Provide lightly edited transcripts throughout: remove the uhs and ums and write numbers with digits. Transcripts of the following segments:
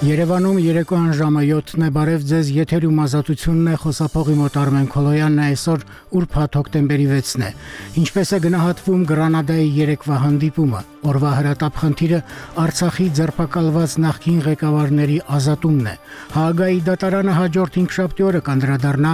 Երևանում երեկոյան ժամը 7-ն է, բարև ձեզ, եթերում ազատությունն է, խոսափողի մոտ Արմեն Քոլոյանն է, այսօր ուրբաթ հոկտեմբերի 6-ն է։ Ինչպես է գնահատվում Գրանադայի երեկվա հանդիպումը, օրվա հրատապ խնդիրը Արցախի ձերբակալված նախկին ղեկավարների ազատումն է։ Հաագայի դատարանը հաջորդ 5 օրը կանդրադառնա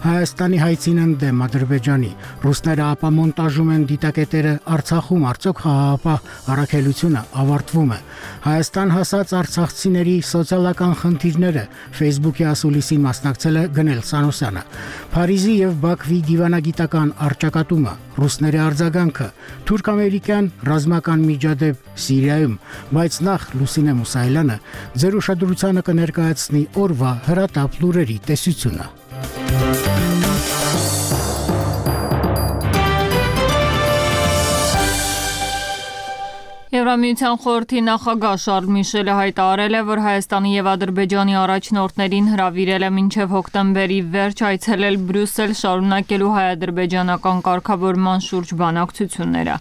Հայաստանի հայցին ընդդեմ Ադրբեջանի։ Ռուսները ապամոնտաժում են դիտակետերը Արցախում, արդյոք խաղաղապահ առաքելությունը ավարտվում է։ Հայաստան հասած արցախցիների սոցիալական խնդիրները Facebook-ի ասուլիսին մասնակցել է Գնել Սանոսյանը։ Փարիզի եւ Բաքվի դիվանագիտական առճակատումը, ռուսների արձագանքը, թուրք-ամերիկյան ռազմական միջադեպ Սիրիայում, բայց նախ Լուսինե Մուսայելյանը ձեր ուշադրությանը կներկայացնի օրվա հրատապ լուրերի տեսությունը։ Եվրամիության խորհրդի նախագահ Շարլ Միշելը հայտարարել է, որ Հայաստանի եւ Ադրբեջանի առաջնորդներին հրավիրել է մինչև հոկտեմբերի վերջ այցելել Բրյուսել, շարունակելու հայ-ադրբեջանական կարգավորման շուրջ բանակցությունները։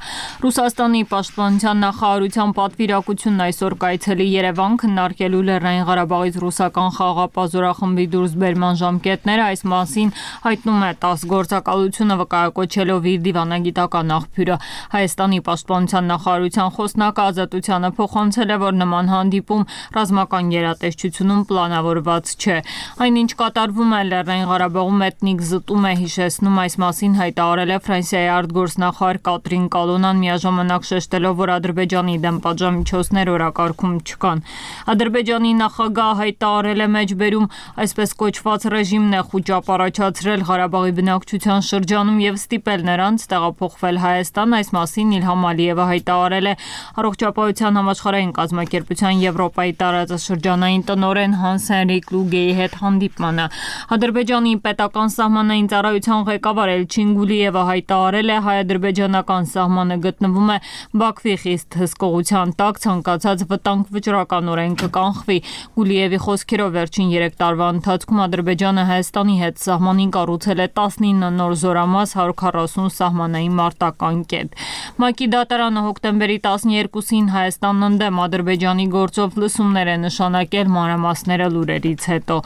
Ռուսաստանի պաշտպանության նախարարության պատվիրակությունն այսօր կայցելի Երևան քննարկելու Լեռնային Ղարաբաղից ռուսական խաղաղապահ զորախմբի դուրսբերման ժամկետները, այս մասին հայտնում է ՏԱՍՍ գործակալությունը վկայակոչելով իր դիվանագիտական աղբյուրը։ Հայաստանի պաշտպանության նախարարության խոսնակը Ազատությանը փոխանցել է, որ նման հանդիպում ռազմական գերատեսչությունում պլանավորված չէ։ Այնինչ կատարվում է Լեռնային Ղարաբաղում էթնիկ զտում է հիշեցնում, այս մասին հայտարարել է Ֆրանսիայի արտգործնախարար Կատրին Կալոնան, միաժամանակ շեշտելով, որ Ադրբեջանի դեմ պատժամիջոցներ օրակարգում չկան։ Ադրբեջանի նախագահը հայտարարել է մեջբերում այսպես կոչված ռեժիմն է խուճապ առաջացրել Ղարաբաղի բնակչության շրջանում եւ ստիպել նրանց տեղափոխվել Հայաստան, այս մասին Իլհամ Ալիևը հայտարարել է Առողջապահության համաշխարհային կազմակերպության Եվրոպայի տարածաշրջանային տնօրեն Հանս Հենրիկ Լուգեի հետ հանդիպմանը։ Ադրբեջանի պետական սահմանային ծառայության ղեկավար Էլչին Գուլիևը հայտարարել է, հայ-ադրբեջանական սահմանը գտնվում է Բաքվի խիստ հսկողության տակ, ցանկացած վտանգ վճռականորեն կկանխվի։ Գուլիևի խոսքերով վերջին 3 տարվա ընթացքում Ադրբեջանը Հայաստանի հետ սահմանին կառուցել է 19 նոր զորամաս, 140 սահմանային մարտական կետ։ ՄԱԿ-ի դատարանը հոկտեմբերի 12-ին Հայաստանն ընդդեմ Ադրբեջանի գործով լսումներ է նշանակել, մանրամասները լուրերից հետո։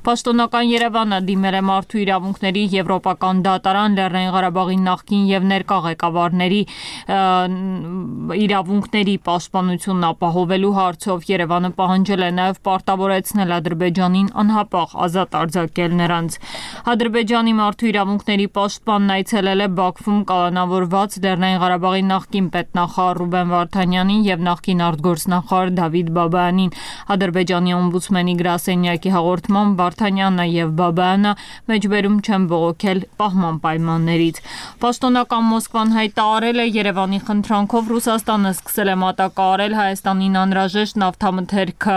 Պաշտոնական Երևանը դիմել է մարդու իրավունքների եվրոպական դատարան Լեռնային Ղարաբաղի նախկին եւ ներկա ղեկավարների իրավունքների պաշտպանությունն ապահովելու հարցով։ Երևանը պահանջել է նաեւ պարտավորեցնել Ադրբեջանին անհապաղ ազատ արձակել նրանց։ Ադրբեջանի մարդու իրավունքների պաշտպանն այցելել է Բաքվում կալանավորված Լեռնային Ղարաբաղի նախկին պետնախարար Ռուբեն Վարդանյանին եւ նախկին արտգործնախարար Դավիթ Բաբայանին։ Ադրբեջանի օմբուդսմենի գրասենյակի հաղորդմամբ Վարդանյանը եւ Բաբայանը մեջբերում չեն բողոքել պահման պայմաններից։ Պաշտոնական Մոսկվան հայտարարել է, Երևանի խնդրանքով Ռուսաստանը սկսել է մատակարարել Հայաստանին անհրաժեշտ նավթամթերքը։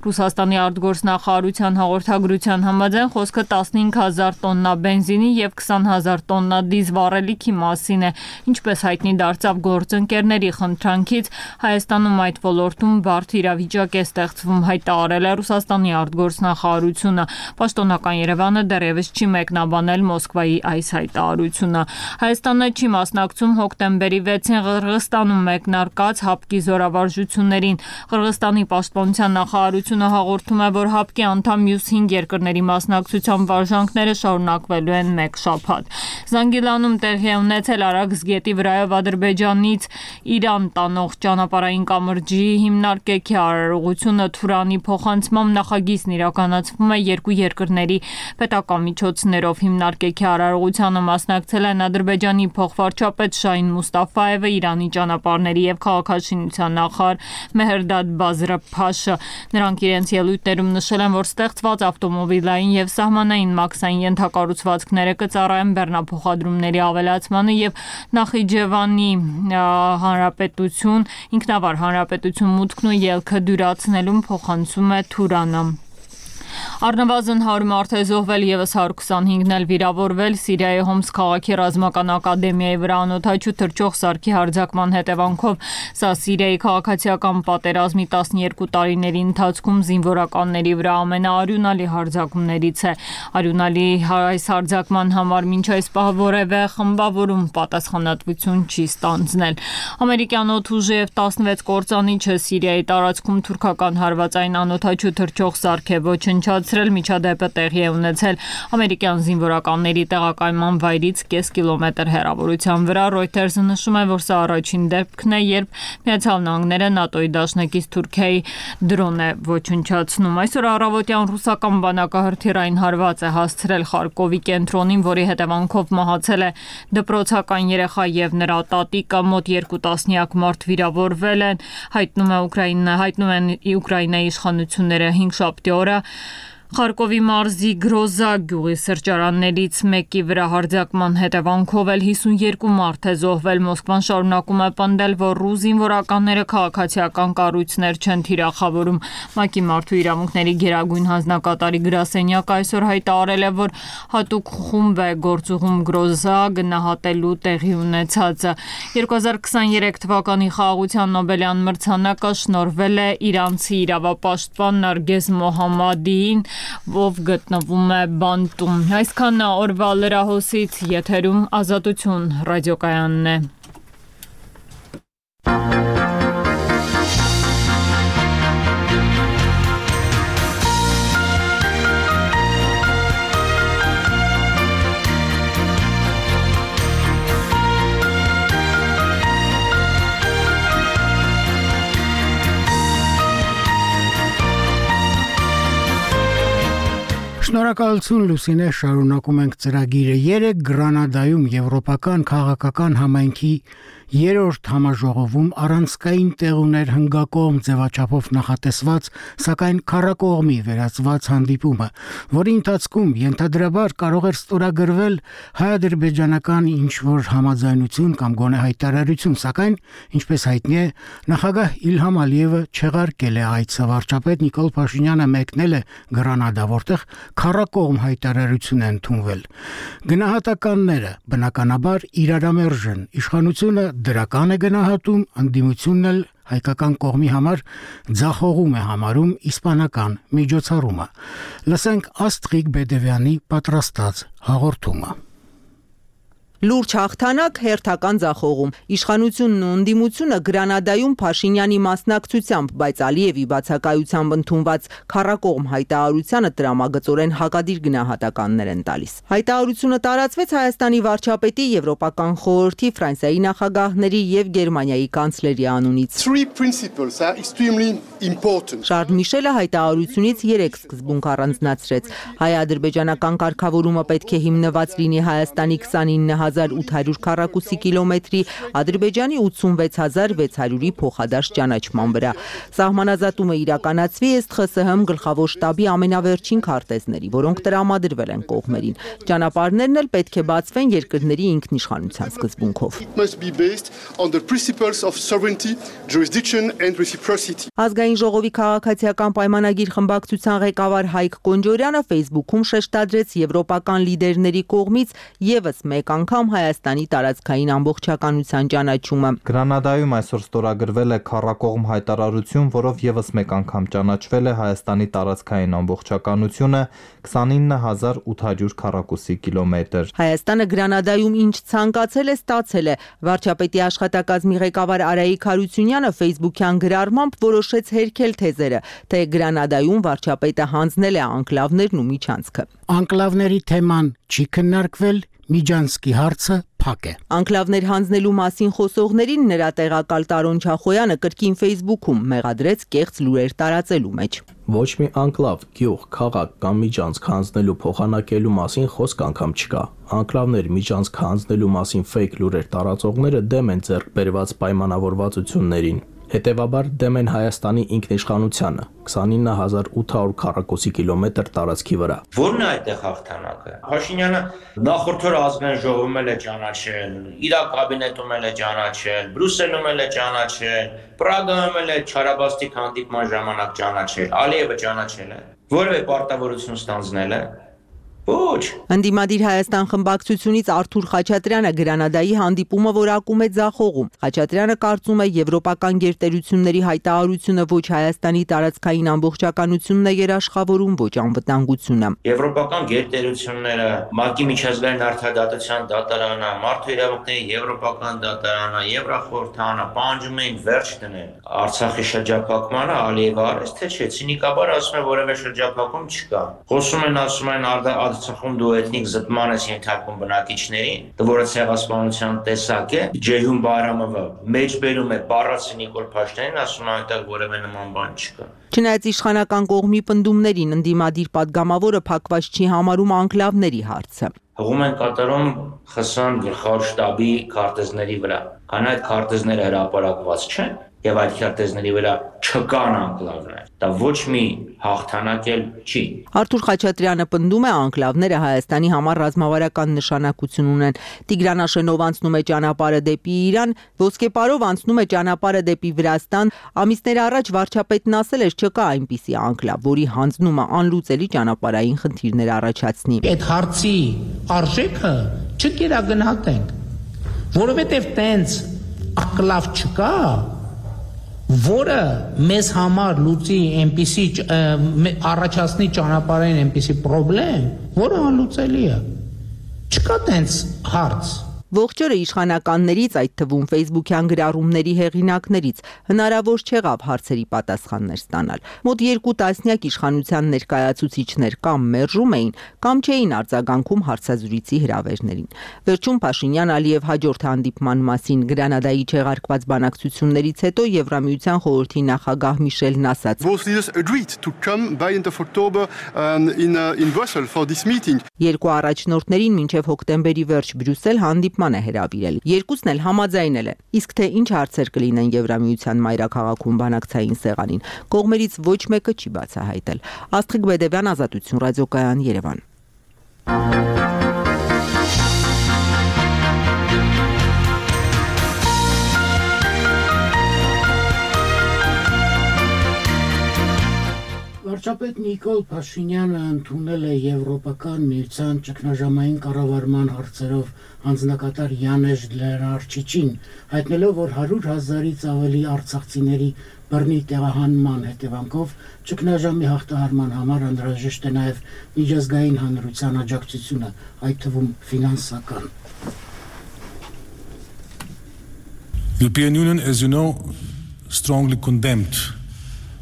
Ռուսաստանի արտգործնախարարության հաղորդագրության համաձայն խոսքը 15000 տոննա բենզինի եւ 20000 տոննա դիզվառելիքի մասին է։ Ինչպես հայտնի դարձավ գործընկերների խնդրանքից, Հայաստանում այդ ոլորտում բարդ իրավիճակ է ստեղծվում, հայտարարել է Ռուսաստանի արտգործնախարարությունը։ Պաշտոնական Երևանը դեռևս չի մեկնաբանել Մոսկվայի այս հայտարարությունը։ Հայաստանը չի մասնակցում հոկտեմբերի 6-ին Ղրղստանում մեկնարկած ՀԱՊԿ-ի զորավարժություններին։ Ղրղստանի պաշտպանության նախարարությունը հաղորդում է, որ ՀԱՊԿ-ի անդամ մյուս 5 երկրների մասնակցությամբ վարժանքները շարունակվելու են 1 շաբաթ։ Զանգիլանում տեղի է ունեցել Արաքս գետի վրայով Ադրբեջանից Իրան տանող ճանապարհային կամրջի հիմնարկեքի արարողությունը Թուրանի փոխանցմամբ նախագիծն իրականացվում է երկու երկրների պետական միջոցներով։ Հիմնարկեքի արարողությանը մասնակցել են Ադրբեջանի փոխվարչապետ Շահին Մուստաֆայևը, Իրանի ճանապարհների եւ քաղաքաշինության նախարար Մեհրդադ Բազրփաշը։ Նրանք իրենց ելույթներում նշել են, որ ստեղծված ավտոմոբիլային եւ սահմանային մաքսային ենթակառուցվածքները կծառայեն բեռնափոխադրումների ավելացմանը եւ Նախիջևանի հանրապետություն, ինքնավար հանրապետություն մուտքն ու ելքը դյուրացնելուն, փոխանցում է Թուրանը։ Առնվազն 100 մարդ է զոհվել, եւս 125-ն էլ վիրավորվել Սիրիայի Հոմս քաղաքի ռազմական ակադեմիայի վրա անօդաչու թռչող սարքի հարձակման հետևանքով։ Սա Սիրիայի քաղաքացիական պատերազմի 12 տարիների ընթացքում զինվորականների վրա ամենաարյունալի հարձակումներից է։ Արյունալի այս հարձակման համար մինչ այս պահ որևէ խմբավորում պատասխանատվություն չի ստանձնել։ Ամերիկյան օդուժի F-16 կործանիչը Սիրիայի տարածքում թուրքական հարվածային անօդաչու թռչող սարք է ոչնչացրել։ Միջադեպը տեղի է ունեցել ամերիկյան զինվորականների տեղակայման վայրից կես կիլոմետր հեռավորության վրա։ Reuters-ը նշում է, որ սա առաջին դեպքն է, երբ Միացյալ Նահանգները ՆԱՏՕ-ի դաշնակից Թուրքիայի դրոն է ոչնչացնում։ Այսօր առավոտյան ռուսական բանակը հրթիռային հարված է հասցրել Խարկովի կենտրոնին, որի հետևանքով մահացել է դպրոցական երեխա եւ նրա տատիկը, մոտ 2 տասնյակ մարդ վիրավորվել են, հայտնում են Ուկրաինայի իշխանությունները 5 շաբթի օրը Խարկովի մարզի Գրոզա գյուղի սրճարաններից մեկի վրա հարձակման հետևանքով էլ 52 մարդ է զոհվել։ Մոսկվան շարունակում է պնդել, որ ռուս զինվորականները քաղաքացիական կառույցներ չեն թիրախավորում։ ՄԱԿ-ի մարդու իրավունքների գերագույն հանձնակատարի գրասենյակը այսօր հայտարարել է, որ հատուկ խումբ է գործուղում Գրոզա գնահատելու տեղի ունեցածը։ 2023 թվականի խաղաղության Նոբելյան մրցանակը շնորհվել է իրանցի իրավապաշտպան Նարգես Մոհամմադիին, ով գտնվում է բանտում։ Այսքան օրվա լրահոսից, եթերում Ազատություն ռադիոկայանն է։ Շնորհակալություն Լուսինե, շարունակում ենք ծրագիրը։ Երեկ Գրանադայում Եվրոպական քաղաքական համայնքի 3-րդ համաժողովում առանցքային տեղ ուներ հնգակողմ ձևաչափով նախատեսված, սակայն քառակողմի վերածված հանդիպումը, որի ընթացքում ենթադրաբար կարող էր ստորագրվել հայ-ադրբեջանական ինչ-որ համաձայնություն կամ գոնե հայտարարություն, սակայն, ինչպես հայտնի է, նախագահ Իլհամ Ալիևը չեղարկել է այցը, վարչապետ Նիկոլ Փաշինյանը մեկնել է Գրանադա, որտեղ քառակողմ հայտարարություն է ընդունվել։ Գնահատականները բնականաբար իրարամերժ են։ Իշխանությունը դրական է գնահատում, ընդդիմությունն էլ հայկական կողմի համար ձախողում է համարում իսպանական միջոցառումը։ Լսենք Աստղիկ Բեդևյանի պատրաստած հաղորդումը։ Լուրջ հաղթանակ, հերթական ձախողում։ Իշխանությունն ու ընդդիմությունը Գրանադայում Փաշինյանի մասնակցությամբ, բայց Ալիևի բացակայությամբ ընդունված քառակողմ հայտարարությանը տրամագծորեն հակադիր գնահատականներ են տալիս։ Հայտարարությունը տարածվեց Հայաստանի վարչապետի, Եվրոպական խորհրդի, Ֆրանսիայի նախագահների եւ Գերմանիայի կանցլերի անունից։ Շարլ Միշելը հայտարարությունից 3 սկզբունք առանձնացրեց։ Հայ-ադրբեջանական կարգավորումը պետք է հիմնված լինի Հայաստանի 29,800 քառակուսի կիլոմետրի, Ադրբեջանի 86,600-ի փոխադարձ ճանաչման վրա։ Սահմանազատումը իրականացվի ըստ ԽՍՀՄ գլխավոր շտաբի ամենավերջին քարտեզների, որոնք տրամադրվել են կողմերին։ Ճանապարհներն էլ պետք է բացվեն երկրների ինքնիշխանության սկզբունքով։ Ազգային ժողովի քաղաքացիական պայմանագիր խմբակցության ղեկավար Հայկ Կոնջորյանը Facebook-ում շեշտադրեց եվրոպական լիդերների կողմից եւս մեկ անգամ Հայաստանի տարածքային ամբողջականության ճանաչումը։ Գրանադայում այսօր ստորագրվել է քառակողմ հայտարարություն, որով եւս մեկ անգամ ճանաչվել է Հայաստանի տարածքային ամբողջականությունը 29,800 քառակուսի կիլոմետր։ Հայաստանը Գրանադայում ինչ ցանկացել է, ստացել է։ Վարչապետի աշխատակազմի ղեկավար Արայիկ Հարությունյանը Facebook-յան գրառմամբ որոշեց հերքել թեզերը, թե Գրանադայում վարչապետը հանձնել է անկլավներն ու միջանցքը։ Անկլավների թեման չի քննարկվել, Միջանցքի հարցը փակ է։ Անկլավներ հանձնելու մասին խոսողներին նրա տեղակալ Տարոն Չախոյանը կրկին Facebook-ում մեղադրեց կեղծ լուրեր տարածելու մեջ։ Ոչ մի անկլավ, գյուղ, քաղաք կամ միջանցք հանձնելու փոխանակելու մասին խոսք անգամ չկա։ Անկլավներ միջանցք հանձնելու մասին ֆեյք լուրեր տարածողները դեմ են ձեռք բերված պայմանավորվածություններին։ Հետևաբար դեմ են Հայաստանի ինքնիշխանությանը 29800 քառակուսի կիլոմետր տարածքի վրա։ Որն է այդտեղ հաղթանակը։ Փաշինյանը նախորդ օրը ազգային ժողովում էլ է ճանաչել, իր կաբինետում էլ է ճանաչել, Բրյուսելում էլ է ճանաչել, Պրագայում էլ է չարաբաստիկ հանդիպման ժամանակ ճանաչել, Ալիևը ճանաչել է։ Որևէ պարտավորություն ստանձնել է։ Ոչ։ Ընդդիմադիր Հայաստան խմբակցությունից Արթուր Խաչատրյանը Գրանադայի հանդիպումը որակում է ձախողում։ Խաչատրյանը կարծում է եվրոպական գերտերությունների հայտարարությունը ոչ Հայաստանի տարածքային ամբողջականությունն է երաշխավորում, ոչ անվտանգությունը։ Եվրոպական գերտերությունները, ՄԱԿ-ի միջազգային արդարադատության դատարանը, մարդու իրավունքների եվրոպական դատարանը, Եվրախորհրդանը պահանջում էին վերջ դնել Արցախի շրջափակմանը, Ալիևը արեց, թե չէ, ցինիկաբար ասում է որևէ շրջափակում չկա։ Խոսում են, ասում են Արցախում դու էթնիկ զտման ես ենթարկում բնակիչներին, որը ցեղասպանության տեսակ է, Ջեյհուն Բայրամովը մեջբերում է բառացի Նիկոլ Փաշինյանին, ասում է այնտեղ որևէ նման բան չկա։ Չնայած իշխանական կողմի պնդումներին ընդդիմադիր падգամավորը փակված չի համարում անկլավների հարցը։ Հղում են կատարում ԽՍՀՄ գլխավոր շտաբի քարտեզների վրա, քան այդ քարտեզները հրապարակված չեն եւ այդ քարտեզների վրա չկան անկլավներ։ Դա ոչ մի հաղթանակ էլ չի։ Արթուր Խաչատրյանը պնդում է անկլավները Հայաստանի համար ռազմավարական նշանակություն ունեն։ Տիգրան Աշենով անցնում է ճանապարհը դեպի Իրան, Ոսկեպարով անցնում է ճանապարհը դեպի Վրաստան։ Ամիսներ առաջ վարչապետն ասել էր չկա այնպիսի անկլավ, որի հանձնումը անլուծելի ճանապարհային խնդիրներ առաջացնի։ Այդ հարցի արժեքը չկերագնահատենք, որովհետև տենց անկլավ չկա, որը մեզ համար լուծի այնպիսի առաջացնի ճանապարհային այնպիսի խնդրեմ, որը անլուծելի է։ Չկա տենց հարց։ Ողջ օրը իշխանականներից, այդ թվում Facebook-յան գրառումների հեղինակներից հնարավոր չեղավ հարցերի պատասխաններ ստանալ։ Մոտ 2 տասնյակ իշխանության ներկայացուցիչներ կամ մերժում էին, կամ չէին արձագանքում հարցազրույցի հրավերներին։ Վերջում Փաշինյան-Ալիև հաջորդ հանդիպման մասին Գրանադայի չեղարկված բանակցություններից հետո Եվրամիության խորհրդի նախագահ Միշելն ասաց. Երկու առաջնորդներին մինչև հոկտեմբերի վերջ Բրյուսել հանդիպման է հրավիրել։ Երկուսն էլ համաձայնել են։ Իսկ թե ինչ հարցեր կլինեն Եվրամիության մայրաքաղաքում բանակցային սեղանին, կողմերից ոչ մեկը չի բացահայտել։ Աստղիկ Բեդևյան, Ազատություն, ռադիոկայան, Երևան։ Վարչապետ Նիկոլ Փաշինյանը ընդունել է Եվրոպական միության ճգնաժամային կառավարման հարցերով հանձնակատար Յանեժ Լենարչիչին, հայտնելով, որ 100,000-ից ավելի արցախցիների բռնի տեղահանման հետևանքով ճգնաժամի հաղթահարման համար անհրաժեշտ է նաև միջազգային հանրության աջակցությունը, այդ թվում ֆինանսական։ European Union, as you know, strongly condemned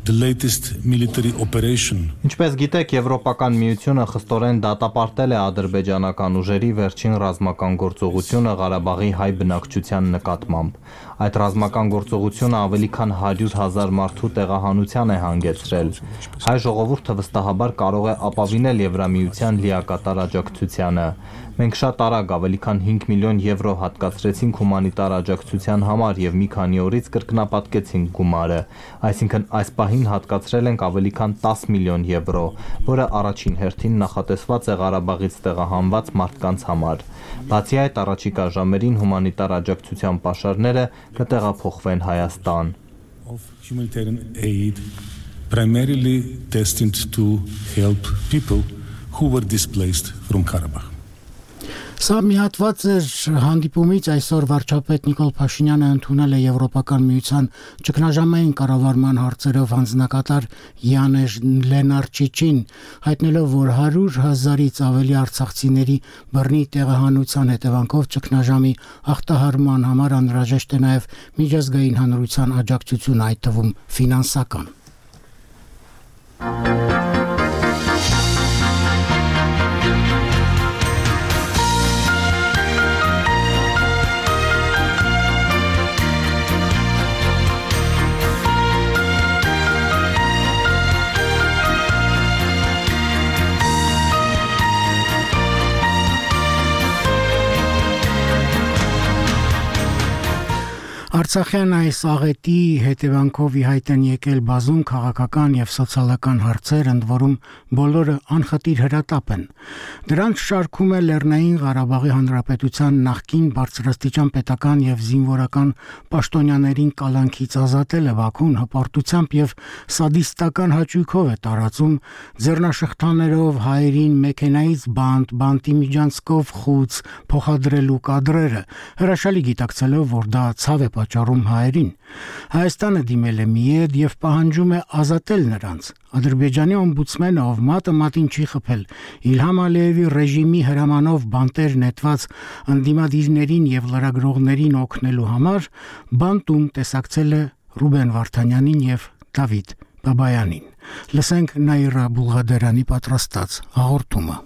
the latest military operation. Ինչպես գիտեք, Եվրոպական միությունը խստորեն դատապարտել է ադրբեջանական ուժերի վերջին ռազմական գործողությունը Ղարաբաղի հայ բնակչության նկատմամբ։ Այդ ռազմական գործողությունը ավելի քան 100,000 մարդու տեղահանության է հանգեցրել։ Հայ ժողովուրդը վստահաբար կարող է ապավինել Եվրամիության լիակատար աջակցությանը։ Մենք շատ արագ ավելի քան 5 միլիոն եվրո հատկացրեցինք հումանիտար աջակցության համար եւ մի քանի օրից կրկնապատկեցինք գումարը, այսինքն այս պահին հատկացրել ենք ավելի քան 10 միլիոն եվրո, որը առաջին հերթին նախատեսված է Ղարաբաղից տեղահանված մարդկանց համար։ Բացի այդ, առաջիկա ժամերին հումանիտար աջակցության պաշարները կտեղափոխվեն Հայաստան։ Of humanitarian aid primarily destined to help people who were displaced from Karabakh. Սա մի հատված էր հանդիպումից այսօր վարչապետ Նիկոլ Փաշինյանը ընդունել է Եվրոպական միության ճգնաժամային կառավարման հարցերով հանձնակատար Յանեժ Լենարչիչին, հայտնելով, որ 100,000-ից ավելի արցախցիների բռնի տեղահանության հետևանքով ճգնաժամի հաղթահարման համար անհրաժեշտ է նաև միջազգային հանրության աջակցություն, այդ թվում ֆինանսական։ Արցախյան այս աղետի հետևանքով ի հայտ են եկել բազում քաղաքական եւ սոցիալական հարցեր, ընդ որում բոլորը անխտիր հրատապ են։ Դրանց շարքում է Լեռնային Ղարաբաղի Հանրապետության նախկին բարձրաստիճան պետական եւ զինվորական պաշտոնյաներին կալանքից ազատելը Բաքուն հպարտությամբ եւ սադիստական հաճույքով է տարածում ձեռնաշղթաներով հայերին մեքենայից բանտի միջանցքով խուց փոխադրելու կադրերը, հրաշալի գիտակցելով, որ դա ցավ է պատճառում հայերին։ Հայաստանը դիմել է միեդ եւ պահանջում է ազատել նրանց։ Ադրբեջանի օմբուդսմենը, ով մատը մատին չի խփել Իլհամ Ալիևի ռեժիմի հրամանով բանտեր նետված ընդդիմադիրներին եւ լրագրողներին օգնելու համար, բանտում տեսակցել է Ռուբեն Վարդանյանին եւ Դավիթ Բաբայանին։ Լսենք Նաիրա Բուլղադարյանի պատրաստած հաղորդումը։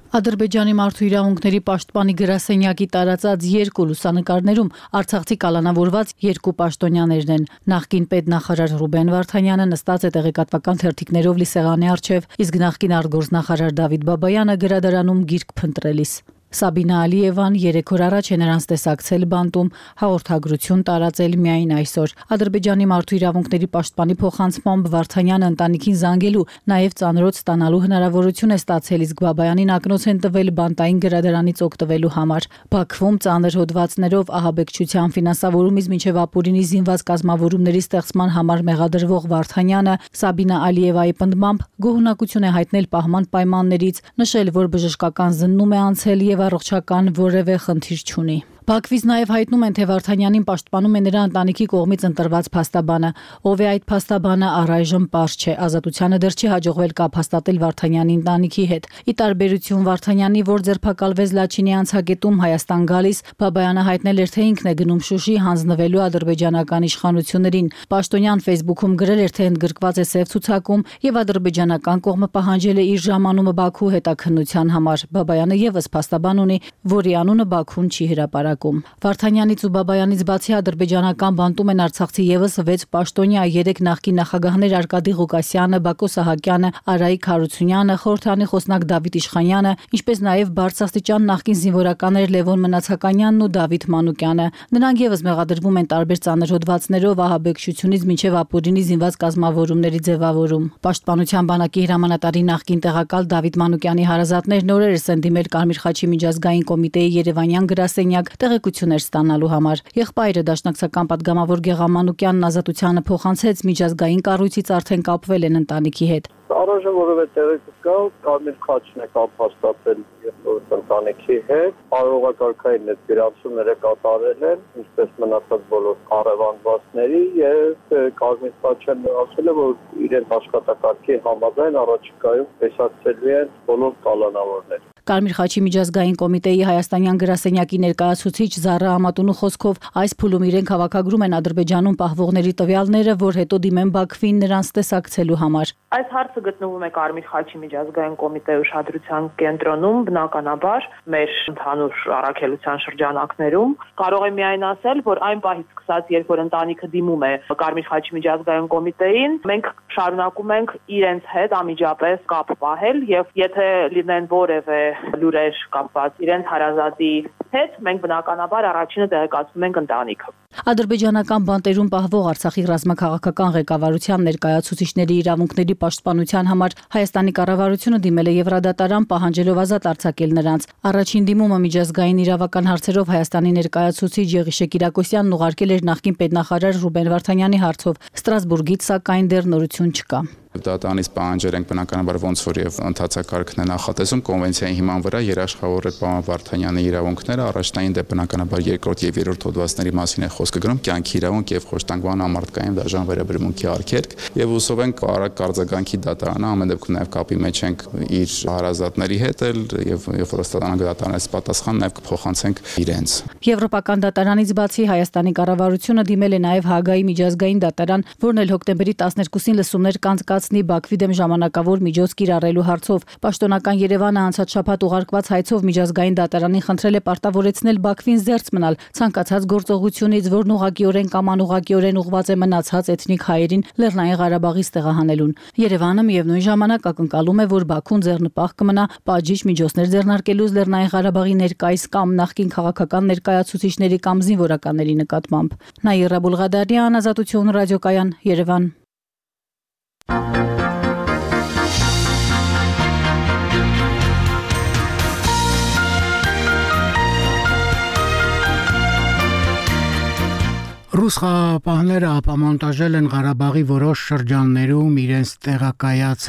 Ադրբեջանի մարդու իրավունքների պաշտպանի գրասենյակի տարածած երկու լուսանկարներում արցախցի կալանավորված երկու պաշտոնյաներն են։ Նախկին պետնախարար Ռուբեն Վարդանյանը նստած է տեղեկատվական թերթիկներով լի սեղանի առջև, իսկ նախկին արտգործնախարար Դավիթ Բաբայանը գրադարանում գիրք փնտրելիս։ Սաբինա Ալիևան 3 օր առաջ է նրանց տեսակցել բանտում, հաղորդագրություն տարածել միայն այսօր։ Ադրբեջանի մարդու իրավունքների պաշտպանի փոխանցմամբ Վարդանյանը ընտանիքին զանգելու, նաև ծանրոց ստանալու հնարավորություն է ստացել, իսկ Բաբայանին ակնոց են տվել բանտային գրադարանից օգտվելու համար։ Բաքվում ծանր հոդվածներով ահաբեկչության ֆինանսավորումից մինչև ապօրինի զինված կազմավորումների ստեղծման համար մեղադրվող Վարդանյանը Սաբինա Ալիևայի պնդմամբ գոհունակություն է հայտնել պահման պայմաններից, նշել, որ բժշկական զննում է անցել եւ առողջական որևէ խնդիր չունի։ Բաքվից նաև հայտնում են, թե Վարդանյանին պաշտպանում է նրա ընտանիքի կողմից ընտրված փաստաբանը։ Ով է այդ փաստաբանը, առայժմ պարզ չէ։ Ազատությանը դեռ չի հաջողվել կապ հաստատել Վարդանյանի ընտանիքի հետ։ Ի տարբերություն Վարդանյանի, որ ձերբակալվեց Լաչինի անցագետում Հայաստան գալիս, Բաբայանը հայտնել էր, թե ինքն է գնում Շուշի հանձնվելու ադրբեջանական իշխանություններին։ Պաշտոնյան Facebook-ում գրել էր, թե ընդգրկված է սև ցուցակում եւ ադրբեջանական կողմը պահանջել է իր ժամանումը Բաքու հետաքննության համար։ Բաբայանը եւս փաստաբան ունի, որի անունը Բաքուն չի հրապարակում։ Վարդանյանից ու Բաբայանից բացի ադրբեջանական բանտում են Արցախցի եւս 6 պաշտոնյա, 3 նախկին նախագահներ Արկադի Ղուկասյանը, Բակո Սահակյանը, Արայիկ Հարությունյանը, խորհրդանի խոսնակ Դավիթ Իշխանյանը, ինչպես նաեւ բարձրաստիճան նախկին զինվորականներ Լևոն Մնացականյանն ու Դավիթ Մանուկյանը։ Նրանք եւս մեղադրվում են տարբեր ծանր հոդվածներով ահաբեկչությունից մինչեւ ապօրինի զինված կազմավորումների ձևավորում։ Պաշտպանության բանակի հրամանատարի նախկին տեղակալ Դավիթ Մանուկյանի հարազատներն օրերս են դիմել Կարմիր խաչի միջազգային կոմիտեի Երևանյան գրասենյակ տեղեկություններ ստանալու համար։ Եղբայրը դաշնակցական падգամավոր Գեղամ Մանուկյանն ազատությանը փոխանցեց միջազգային կառույցից արդեն կապվել են ընտանիքի հետ։ Առայժմ որևէ տեղեկա Կարմիր խաչն է կապ հաստատել ընտանիքի հետ, արարողակարգային ներգրանցումները կատարել են, ինչպես մնացած բոլոր առևանգվածների եւ Կարմիր խաչն ասել է, որ իրենց աշխատակարգի համաձայն առաջիկայում տեսակցելու են բոլոր կալանավորները։ Կարմիր խաչի միջազգային կոմիտեի հայաստանյան գրասենյակի ներկայացուցիչ Զարա Ամատունու խոսքով այս փուլում իրենք հավաքագրում են Ադրբեջանում պահվողների տվյալները, որ հետո դիմեն Բաքվին նրանց տեսակցելու համար։ Այս հարցը գտնվում է Կարմիր խաչի միջազգային կոմիտեի ուշադրության կենտրոնում, բնականաբար մեր ընդհանուր առաքելության շրջանակներում։ Կարող եմ միայն ասել, որ այն պահից սկսած, երբ որ ընտանիքը դիմում է Կարմիր խաչի միջազգային կոմիտեին, մենք շարունակում ենք իրենց հետ անմիջապես կապ պահել եւ եթե լինեն որևէ լուրեր կապված իրենց հարազատի հետ, մենք բնականաբար առաջինը տեղեկացնում ենք ընտանիքը։ Ադրբեջանական բանտերում պահվող Արցախի ռազմաքաղաքական ղեկավարության ներկայացուցիչների իրավունքների պաշտպանության համար Հայաստանի կառավարությունը դիմել է Եվրադատարան պահանջելով ազատ արձակել նրանց։ Առաջին դիմումը միջազգային իրավական հարցերով Հայաստանի ներկայացուցիչ Եղիշե Կիրակոսյանն ուղարկել էր նախկին պետնախարար Ռուբեն Վարդանյանի հարցով։ Ստրասբուրգից սակայն դեռ նորություն չկա։ Դատարանից պահանջել ենք բնականաբար ոնց որ եւ ընդհանրակարգն է նախատեսում կոնվենցիայի հիման վրա երաշխավորել պարոն Վարդանյանի իրավունքները, առաջնային դեպ բնականաբար երկրորդ եւ երրորդ հոդվածների մասին է խոսքը գրում, կյանքի իրավունք եւ խոշտանգման համարտկային դաժան վերաբերմունքի արգելք եւ հուսով ենք արագ արձագանքի դատարանը ամեն դեպքում նաեւ կապի մեջ ենք իր հարազատների հետ եւ երբ որ ստանանք դատարանից պատասխան նաեւ կփոխանցենք իրենց։ Եվրոպական դատարանից բացի Հայաստանի կառավարությունը դիմել է նաեւ Հաագայի միջազգային դատարան, որն էլ հոկտեմբերի 12-ին լսումներ կանցկաց կայացնի Բաքվի դեմ ժամանակավոր միջոց կիրառելու հարցով։ Պաշտոնական Երևանը անցած շաբաթ ուղարկված հայցով միջազգային դատարանին խնդրել է պարտավորեցնել Բաքվին զերծ մնալ ցանկացած գործողությունից, որն ուղղակիորեն կամ անուղղակիորեն ուղղված է մնացած էթնիկ հայերին Լեռնային Ղարաբաղից տեղահանելուն։ Երևանը միևնույն ժամանակ ակնկալում է, որ Բաքուն ձեռնպահ կմնա պատժիչ միջոցներ ձեռնարկելուց Լեռնային Ղարաբաղի ներկայիս կամ նախկին քաղաքական ներկայացուցիչների կամ զինվորականների նկատմամբ։ Նաիրա Բուլղադարյան, Ազատություն ռադիոկայան, Երևան։ Ռուս խաղաղապահները ապամոնտաժել են Ղարաբաղի որոշ շրջաններում իրենց տեղակայած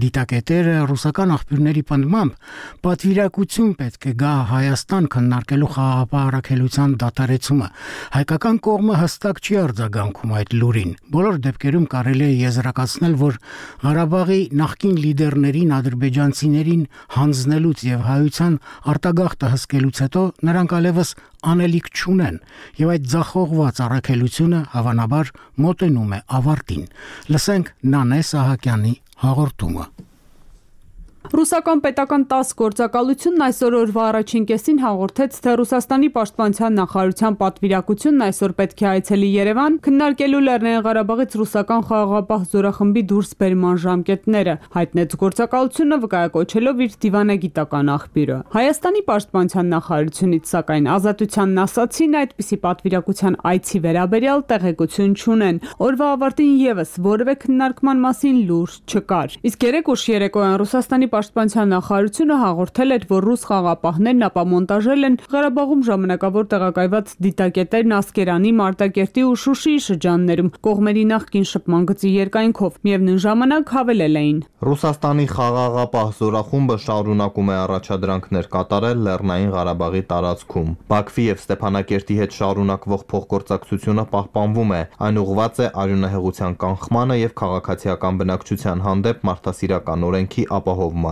դիտակետերը։ Ռուսական աղբյուրների պնդմամբ պատվիրակություն պետք է գա Հայաստան քննարկելու խաղաղապահ առաքելության դադարեցումը։ Հայկական կողմը հստակ չի արձագանքում այդ լուրին։ Բոլոր դեպքերում կարելի է եզրակացնել, որ Ղարաբաղի նախկին լիդերներին ադրբեջանցիներին հանձնելուց եւ հայության արտագաղթը հսկելուց հետո նրանք այլևս անելիք չունեն եւ այդ ձախողված առաքելությունը հավանաբար մոտենում է ավարտին։ Լսենք Նանե Սահակյանի հաղորդումը։ Ռուսական պետական ՏԱՍՍ գործակալությունն այսօր օրվա առաջին կեսին հաղորդեց, թե Ռուսաստանի պաշտպանության նախարարության պատվիրակությունն այսօր պետք է այցելի Երևան քննարկելու Լեռնային Ղարաբաղից ռուսական խաղաղապահ զորախմբի դուրսբերման ժամկետները, հայտնեց գործակալությունը վկայակոչելով իր դիվանագիտական աղբյուրը։ Հայաստանի պաշտպանության նախարարությունից սակայն Ազատությանն ասացին, այդպիսի պատվիրակության այցի վերաբերյալ տեղեկություն չունեն։ Օրվա ավարտին եւս որևէ քննարկման մասին լուր չկար։ Իսկ երեկ ուշ երեկոյան Ռուսաստանի Պաշտպանության նախարարությունը հաղորդել էր, որ ռուս խաղաղապահներն ապամոնտաժել են Ղարաբաղում ժամանակավոր տեղակայված դիտակետերն Ասկերանի, Մարտակերտի ու Շուշիի շրջաններում կողմերի նախկին շփման գծի երկայնքով։ Միևնույն ժամանակ հավելել էին. Ռուսաստանի խաղաղապահ զորախումբը շարունակում է առաջադրանքներ կատարել Լեռնային Ղարաբաղի տարածքում։ Բաքվի եւ Ստեփանակերտի հետ շարունակվող փոխգործակցությունը պահպանվում է։ Այն ուղղված է արյունահեղության կանխմանը եւ քաղաքացիական բնակչության հանդեպ մարդասիրական օրենքի ապահովմանը։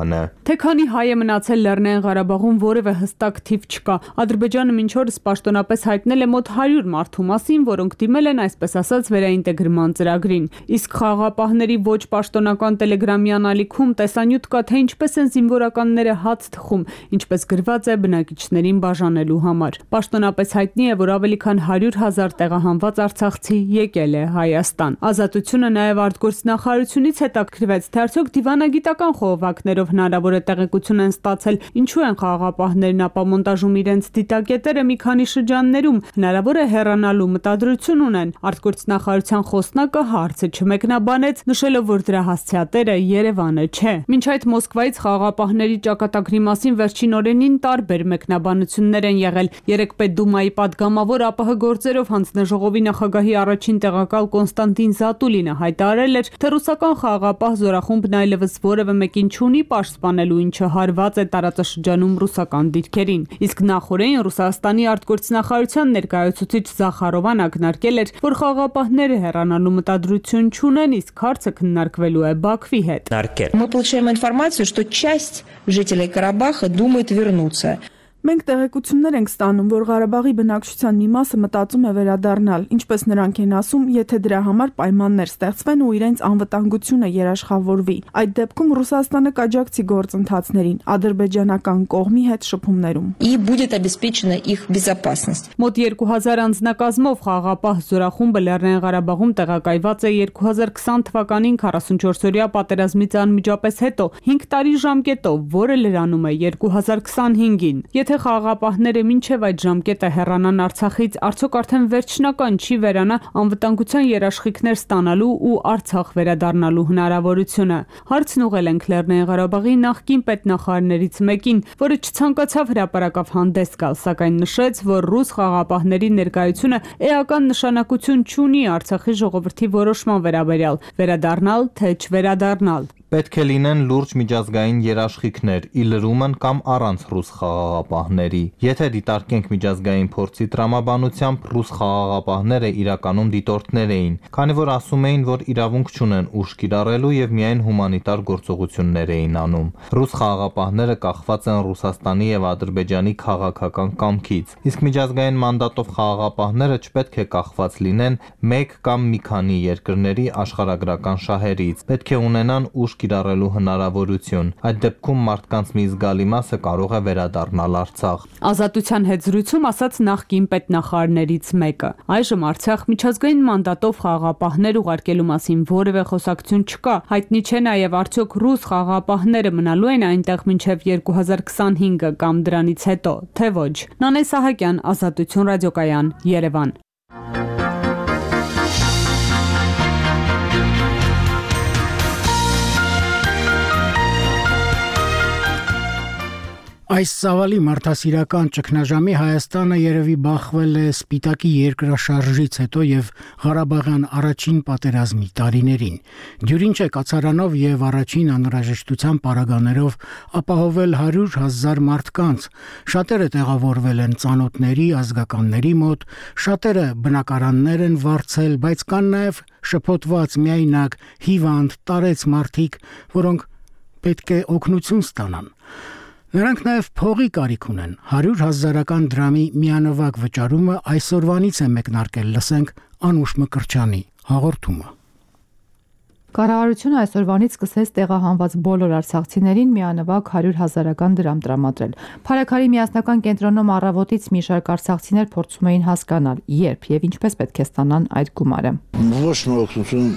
Թե քանի հայ է մնացել Լեռնային Ղարաբաղում որևէ հստակ թիվ չկա։ Ադրբեջանը մինչ օրս պաշտոնապես հայտնել է մոտ 100 մարդու մասին, որոնք դիմել են այսպես ասած վերաինտեգրման ծրագրին։ Իսկ խաղաղապահների ոչ պաշտոնական տելեգրամյան ալիքում տեսանյութ կա, թե ինչպես են զինվորականները հաց թխում, ինչպես գրված է բնակիչներին բաժանելու համար։ Պաշտոնապես հայտնի է, որ ավելի քան 100,000 տեղահանված արցախցի եկել է Հայաստան։ Ազատությունը նաև արտգործնախարարությունից հետաքրքրվեց, թե արդյոք դիվանագիտական խողովակներով հնարավոր է տեղեկություն են ստացել, ինչու են խաղաղապահներն ապամոնտաժում իրենց դիտակետերը մի քանի շրջաններում, հնարավոր է հեռանալու մտադրություն ունեն։ Արտգործնախարարության խոսնակը հարցը չմեկնաբանեց, նշելով, որ դրա հասցեատերը Երևանը չէ։ Մինչ այդ Մոսկվայից խաղաղապահների ճակատագրի մասին վերջին օրերին տարբեր մեկնաբանություններ են եղել։ Երեկ Պետդումայի падգամավոր ԱՊՀ գործերով հանձնաժողովի նախագահի առաջին տեղակալ Կոնստանտին Զատուլինը հայտարարել էր, թե ռուսական խաղաղապահ զորախումբն այլևս որևէ մեկին չունի պաշտպանելու, ինչը հարված է տարածաշրջանում ռուսական դիրքերին։ Իսկ նախորդին Ռուսաստանի արտգործնախարարության ներկայացուցիչ Զախարովան ակնարկել էր, որ խաղաղապահները հեռանալու մտադրություն չունեն, իսկ հարցը քննարկվելու է Բաքվի հետ։ Мы получаем информацию, что часть жителей Карабаха думает вернуться. Մենք տեղեկություններ ենք ստանում, որ Ղարաբաղի բնակչության մի մասը մտածում է վերադառնալ, ինչպես նրանք են ասում, եթե դրա համար պայմաններ ստեղծվեն ու իրենց անվտանգությունը երաշխավորվի։ Այդ դեպքում Ռուսաստանը կաջակցի գործընթացներին ադրբեջանական կողմի հետ շփումներում։ И будет обеспечена их безопасность. Մոտ 2000 անձնակազմով խաղաղապահ զորախումբը Լեռնային Ղարաբաղում տեղակայված է 2020 թվականին 44-օրյա պատերազմից անմիջապես հետո 5 տարի ժամկետով, որը լրանում է 2025-ին։ Եթե խաղաղապահները մինչև այդ ժամկետը հեռանան Արցախից, արդյոք արդեն վերջնական չի վերանա անվտանգության երաշխիքներ ստանալու ու Արցախ վերադառնալու հնարավորությունը։ Հարցն ուղղել ենք Լեռնային Ղարաբաղի նախկին պետնախարարներից մեկին, որը չցանկացավ հրապարակավ հանդես գալ, սակայն նշեց, որ ռուս խաղաղապահների ներկայությունը էական նշանակություն չունի Արցախի ժողովրդի որոշման վերաբերյալ՝ վերադառնալ թե չվերադառնալ։ Պետք է լինեն լուրջ միջազգային երաշխիքներ՝ ի լրումն կամ առանց ռուս խաղաղապահների։ Եթե դիտարկենք միջազգային փորձի տրամաբանությամբ, ռուս խաղաղապահները իրականում դիտորդներ էին, քանի որ ասում էին, որ իրավունք չունեն ուժ կիրառելու եւ միայն հումանիտար գործողություններ էին անում։ Ռուս խաղաղապահները կախված են Ռուսաստանի եւ Ադրբեջանի քաղաքական կամքից, իսկ միջազգային մանդատով խաղաղապահները չպետք է կախված լինեն մեկ կամ մի քանի երկրների աշխարհագրական շահերից։ Պետք է ունենան ուժ կիրառելու հնարավորություն։ Այդ դեպքում մարդկանց մի զգալի մասը կարող է վերադառնալ Արցախ։ Ազատության հետ զրույցում ասաց նախկին պետնախարարներից մեկը։ Այժմ Արցախ միջազգային մանդատով խաղաղապահներ ուղարկելու մասին որևէ խոսակցություն չկա։ Հայտնի չէ նաև արդյոք ռուս խաղաղապահները մնալու են այնտեղ մինչև 2025 կամ դրանից հետո, թե ոչ։ Նանե Սահակյան, Ազատություն ռադիոկայան, Երևան։ Այս ծավալի մարդասիրական ճգնաժամի Հայաստանը երևի բախվել է Սպիտակի երկրաշարժից հետո եւ Ղարաբաղյան առաջին պատերազմի տարիներին։ Դյուրին չէ կացարանով եւ առաջին անհրաժեշտության պարագաներով ապահովել 100,000 մարդկանց։ Շատերը տեղավորվել են ծանոթների, ազգականների մոտ, շատերը բնակարաններ են վարձել, բայց կան նաեւ շփոթված, միայնակ, հիվանդ, տարեց մարդիկ, որոնք պետք է օգնություն ստանան։ Նրանք նաև փողի կարիք ունեն։ 100,000 դրամի միանվագ վճարումը այսօրվանից է մեկնարկել, լսենք Անուշ Մկրտչյանի հաղորդումը։ Կառավարությունը այսօրվանից սկսեց տեղահանված բոլոր արցախցիներին միանվագ 100,000 դրամ տրամադրել։ Փարաքարի միասնական կենտրոնում առավոտից մի շարք արցախցիներ փորձում էին հասկանալ, երբ եւ ինչպես պետք է ստանան այդ գումարը։ Ոչ մի օգնություն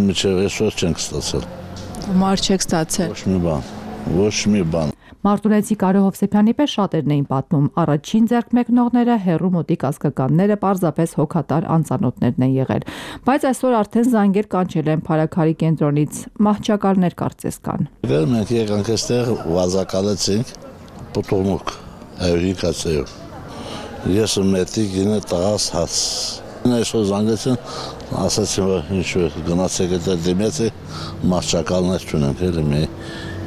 մինչև այսօր չենք ստացել։ Գումար չեք ստացել։ Ոչ մի բան։ Մարտունեցի Կարո Հովսեփյանի պես շատերն էին պատմում, առաջին ձեռք մեկնողները հերու մոտիկ ազգականները պարզապես հոգատար անծանոթներն են եղել, բայց այսօր արդեն զանգեր կանչել են Փարաքարի կենտրոնից, մահճակալներ կարծես կան։ Մենք եկանք այստեղ վազակալեցինք պտուղնուկ 105 հացեով։ Ես մետի գինը տղաս հաց։ Այսօր զանգեցին, ասացին, որ ինչ գնացեք այդ դիմեցի, մահճակալներ չունենք, էլի մի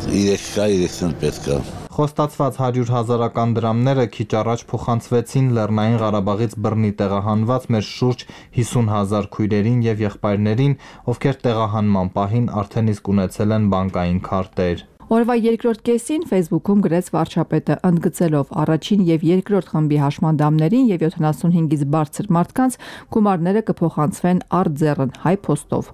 3 պետք է։ Խոստացված 100,000 դրամները քիչ առաջ փոխանցվեցին Լեռնային Ղարաբաղից բռնի տեղահանված մեր շուրջ 50,000 քույրերին եւ եղբայրներին, ովքեր տեղահանման պահին արդեն իսկ ունեցել են բանկային քարտեր։ Օրվա երկրորդ կեսին Facebook-ում գրեց վարչապետը, ընդգծելով առաջին եւ երկրորդ խմբի հաշմանդամներին եւ 75-ից բարձր մարդկանց գումարները կփոխանցվեն արձեռն հայ փոստով։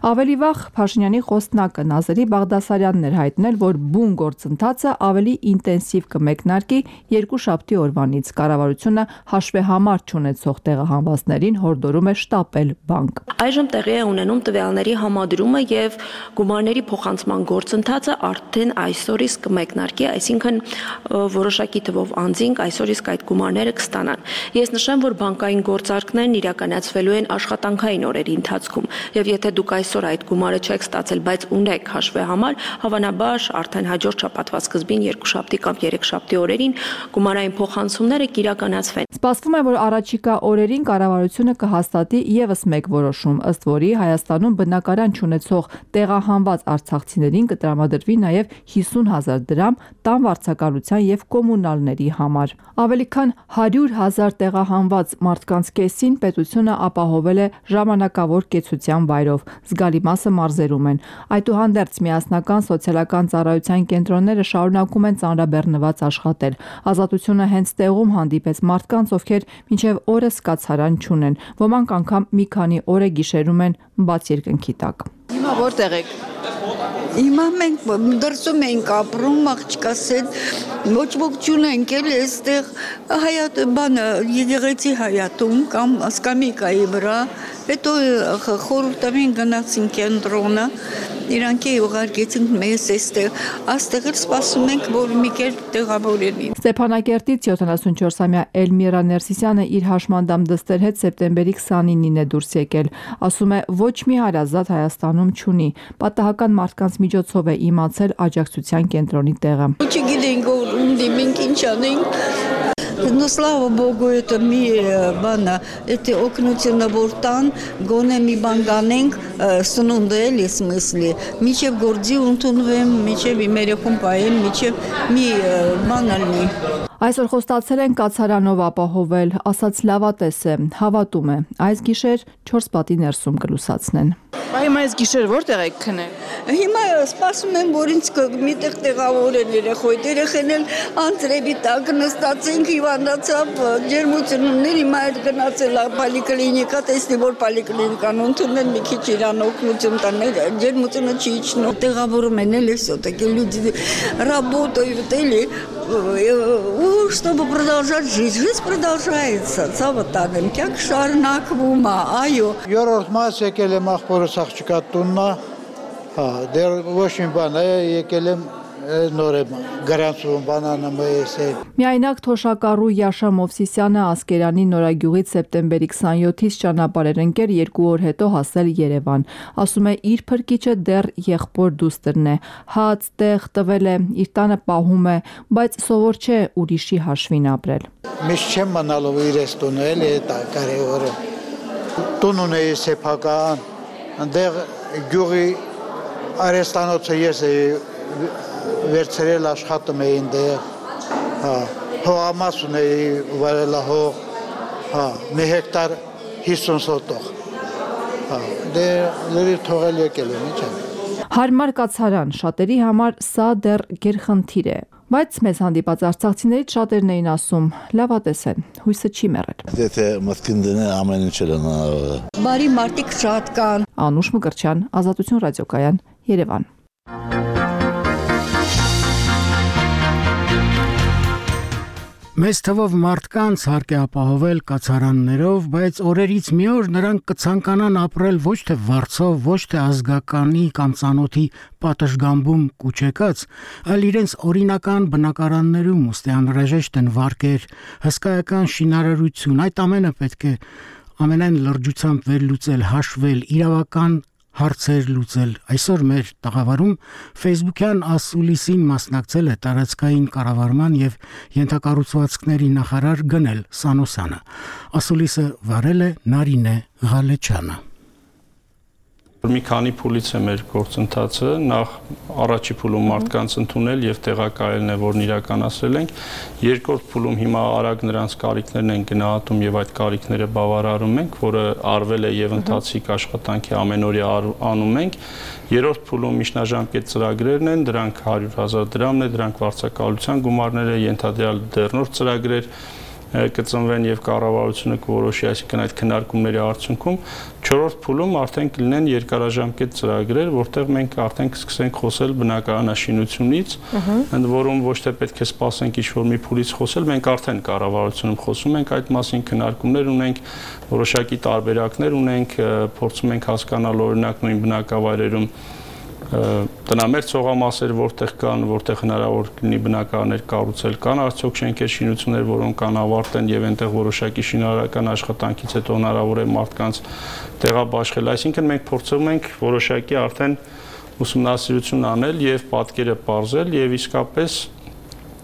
Ավելի վաղ Փաշինյանի խոսնակը Նազերի Բաղդասարյանն էր հայտնել, որ բուն գործընթացը ավելի ինտենսիվ կմեկնարկի երկուշաբթի օրվանից։ Կառավարությունը հաշվեհամար չունեցող տեղահանվածներին հորդորում է շտապել բանկ։ Այժմ տեղի է ունենում տվյալների համադրումը եւ գումարների փոխանցման գործընթացը արդեն այսօր իսկ կմեկնարկի, այսինքն որոշակի թվով անձինք այսօր իսկ այդ գումարները կստանան։ Ես նշեմ, որ բանկային գործարքներն իրականացվելու են աշխատանքային օրերի ընթացքում, եւ եթե դուք այսօր այդ գումարը չեք ստացել, բայց ունեք հաշվեհամար, հավանաբար արդեն հաջորդ շաբաթվա սկզբին երկուշաբթի կամ երեքշաբթի օրերին գումարային փոխանցումները կիրականացվեն։ Սպասվում է, որ առաջիկա օրերին կառավարությունը կհաստատի եւս մեկ որոշում, ըստ որի Հայաստանում բնակարան չունեցող տեղահանված արցախցիներին կտրամադրվի նաեւ 50,000 դրամ տան վարձակալության եւ կոմունալների համար։ Ավելի քան 100,000 տեղահանված մարդկանց կեսին պետությունը ապահովել է ժամանակավոր կեցության վայրով, զգալի մասը մարզերում են։ Այդուհանդերձ միասնական սոցիալական ծառայության կենտրոնները շարունակում են ծանրաբեռնված աշխատել։ Ազատությունը հենց տեղում հանդիպեց մարդկանց, ովքեր մինչև օրս կացարան չունեն։ Ոմանք անգամ մի քանի օր է գիշերում են բաց երկնքի տակ։ Հիմա որտեղ եք։ Հիմա մենք դրսում ենք ապրում, աղջկաս հետ, ոչ ոք չունենք էլ այստեղ հայատ բանը եկեղեցի հայատում կամ սկամիկայի վրա, հետո խորհրդային գնացին կենտրոնը, իրանք ուղարկեցինք մեզ այստեղ էլ սպասում ենք, որ մի կերպ տեղավորեն։ Ստեփանակերտից 74-ամյա Էլմիրա Ներսիսյանը իր հաշմանդամ դստեր հետ սեպտեմբերի 29-ին է դուրս եկել։ Ասում է, ոչ մի հարազատ Հայաստանում չունի։ Պատահական մարդկանց միջոցով է իմացել աջակցության կենտրոնի տեղը։ Չգիտենք որ ունի մենք ինչ անենք։ Но слава богу, это эти օգնությունը որ տան, գոնե մի բան կանենք, սնունդ էլի смысле, միջև գործի ընդունվեմ, միջև իմ երեխուն պայեմ, միջև մի բան ալնի։ Այսօր խոստացել են կացարանով ապահովել, ասաց լավատես է, հավատում է, այս գիշեր 4 պատի ներսում կլուսացնեն։ Հիմա այս գիշեր որտեղ եք քնել։ Հիմա սպասում եմ, որ ինձ միտեղ տեղավորեն երեխոյդ, երեխեն էլ անձրևի տակ նստացինք, հիվանդացավ, ջերմություններ, հիմա այդ գնացել պոլիկլինիկա, տեսնի որ պոլիկլինիկան ընդունել մի քիչ իրան օգնություն տան, ջերմությունը չի իջնում, տեղավորում են էլ все-таки люди работают или чтобы продолжать жизнь. Жизнь продолжается, ցավտանեմ, կյանք շարունակվում է, այո։ Երրորդ մաս եկել եմ ախորս աղջկա տուննա, դեռ ոչ մի բան է, եկել եմ նոր եմ գրանցում բանանը մեսել։ Միայնակ թոշակառու Յաշա Մովսիսյանը Ասկերանի Նորագյուղից սեպտեմբերի 27-ից ճանապարհ էր ընկեր 2 օր հետո հասել Երևան։ Ասում է իր փրկիչը դեռ եղբոր դուստրն է, հաց, տեղ տվել է, իր տանը պահում է, բայց սովոր չէ ուրիշի հաշվին ապրել։ Միշտ չեմ մնալով իրես տունը, էլի դա կարևորը։ Տուն ունեի սեփական, այնտեղ գյուղի արեստանոցը ես վերցրել աշխատում էին դեղ, հողամաս ունեի վարելահող, մի հեկտար 50 սոտող, դեր լրիվ թողել եկել եմ, ինչ եմ։ Հարմար կացարան, շատերի համար սա դեռ գերխնդիր է, բայց մեզ հանդիպած արցախցիներից շատերն էին ասում, լավատես են, հույսը չի մեռել։ Եթե մտքին դնեն ամեն ինչ էլ Բարի մարդիկ շատ կան։ Անուշ Մկրտչյան, Ազատություն ռադիոկայան, Երևան։ Մեծ թվով մարդկանց հարկ է ապահովել կացարաններով, բայց օրերից մի օր նրանք կցանկանան ապրել ոչ թե վարձով, ոչ թե ազգականի կամ ծանոթի պատշգամբում կուչեկած, այլ իրենց օրինական բնակարաններում, ուստի անհրաժեշտ են վարկեր, հսկայական շինարարություն, այդ ամենը պետք է ամենայն լրջությամբ վերլուծել, հաշվել, իրավական հարցեր լուծել։ Այսօր մեր տաղավարում Facebook-յան ասուլիսին մասնակցել է տարածքային կառավարման եւ ենթակառուցվածքների նախարար Գնել Սանոսյանը։ Ասուլիսը վարել է Նարինե Ղալեչյանը։ Մի քանի փուլից է մեր գործընթացը, նախ առաջի փուլում մարդկանց ընդունել եւ տեղակայելն է, որն իրականացրել ենք, երկրորդ փուլում հիմա արագ նրանց կարիքներն են գնահատում եւ այդ կարիքները բավարարում ենք, որը արվել է եւ ընթացիկ աշխատանքի ամենօրյա անում ենք, երրորդ փուլում միջնաժամկետ ծրագրերն են, դրանք 100,000 դրամն է, դրանք վարձակալության գումարները, ենթադրյալ դեռնորդ ծրագրեր կծնվեն եւ կառավարությունը կորոշի, այսինքն այդ քննարկումների արդյունքում չորրորդ փուլում արդեն կլինեն երկարաժամկետ ծրագրեր, որտեղ մենք արդեն կսկսենք խոսել բնակարանաշինությունից, ընդ որում ոչ թե պետք է սպասենք ինչ-որ մի փուլից խոսել, մենք արդեն կառավարությունում խոսում ենք այդ մասին, քննարկումներ ունենք, որոշակի տարբերակներ ունենք, փորձում ենք հասկանալ օրինակ նույն բնակավայրերում տնամերձ ցողամասեր որտեղ կան, որտեղ հնարավոր կլինի բնակարաններ կառուցել, կան արդյոք շենքեր, շինություններ, որոնք անավարտ են եւ այնտեղ որոշակի շինարարական աշխատանքից հետո հնարավոր է մարդկանց տեղաբաշխել, այսինքն մենք փորձում ենք որոշակի արդեն ուսումնասիրություն անել եւ պատկերը պարզել եւ իսկապես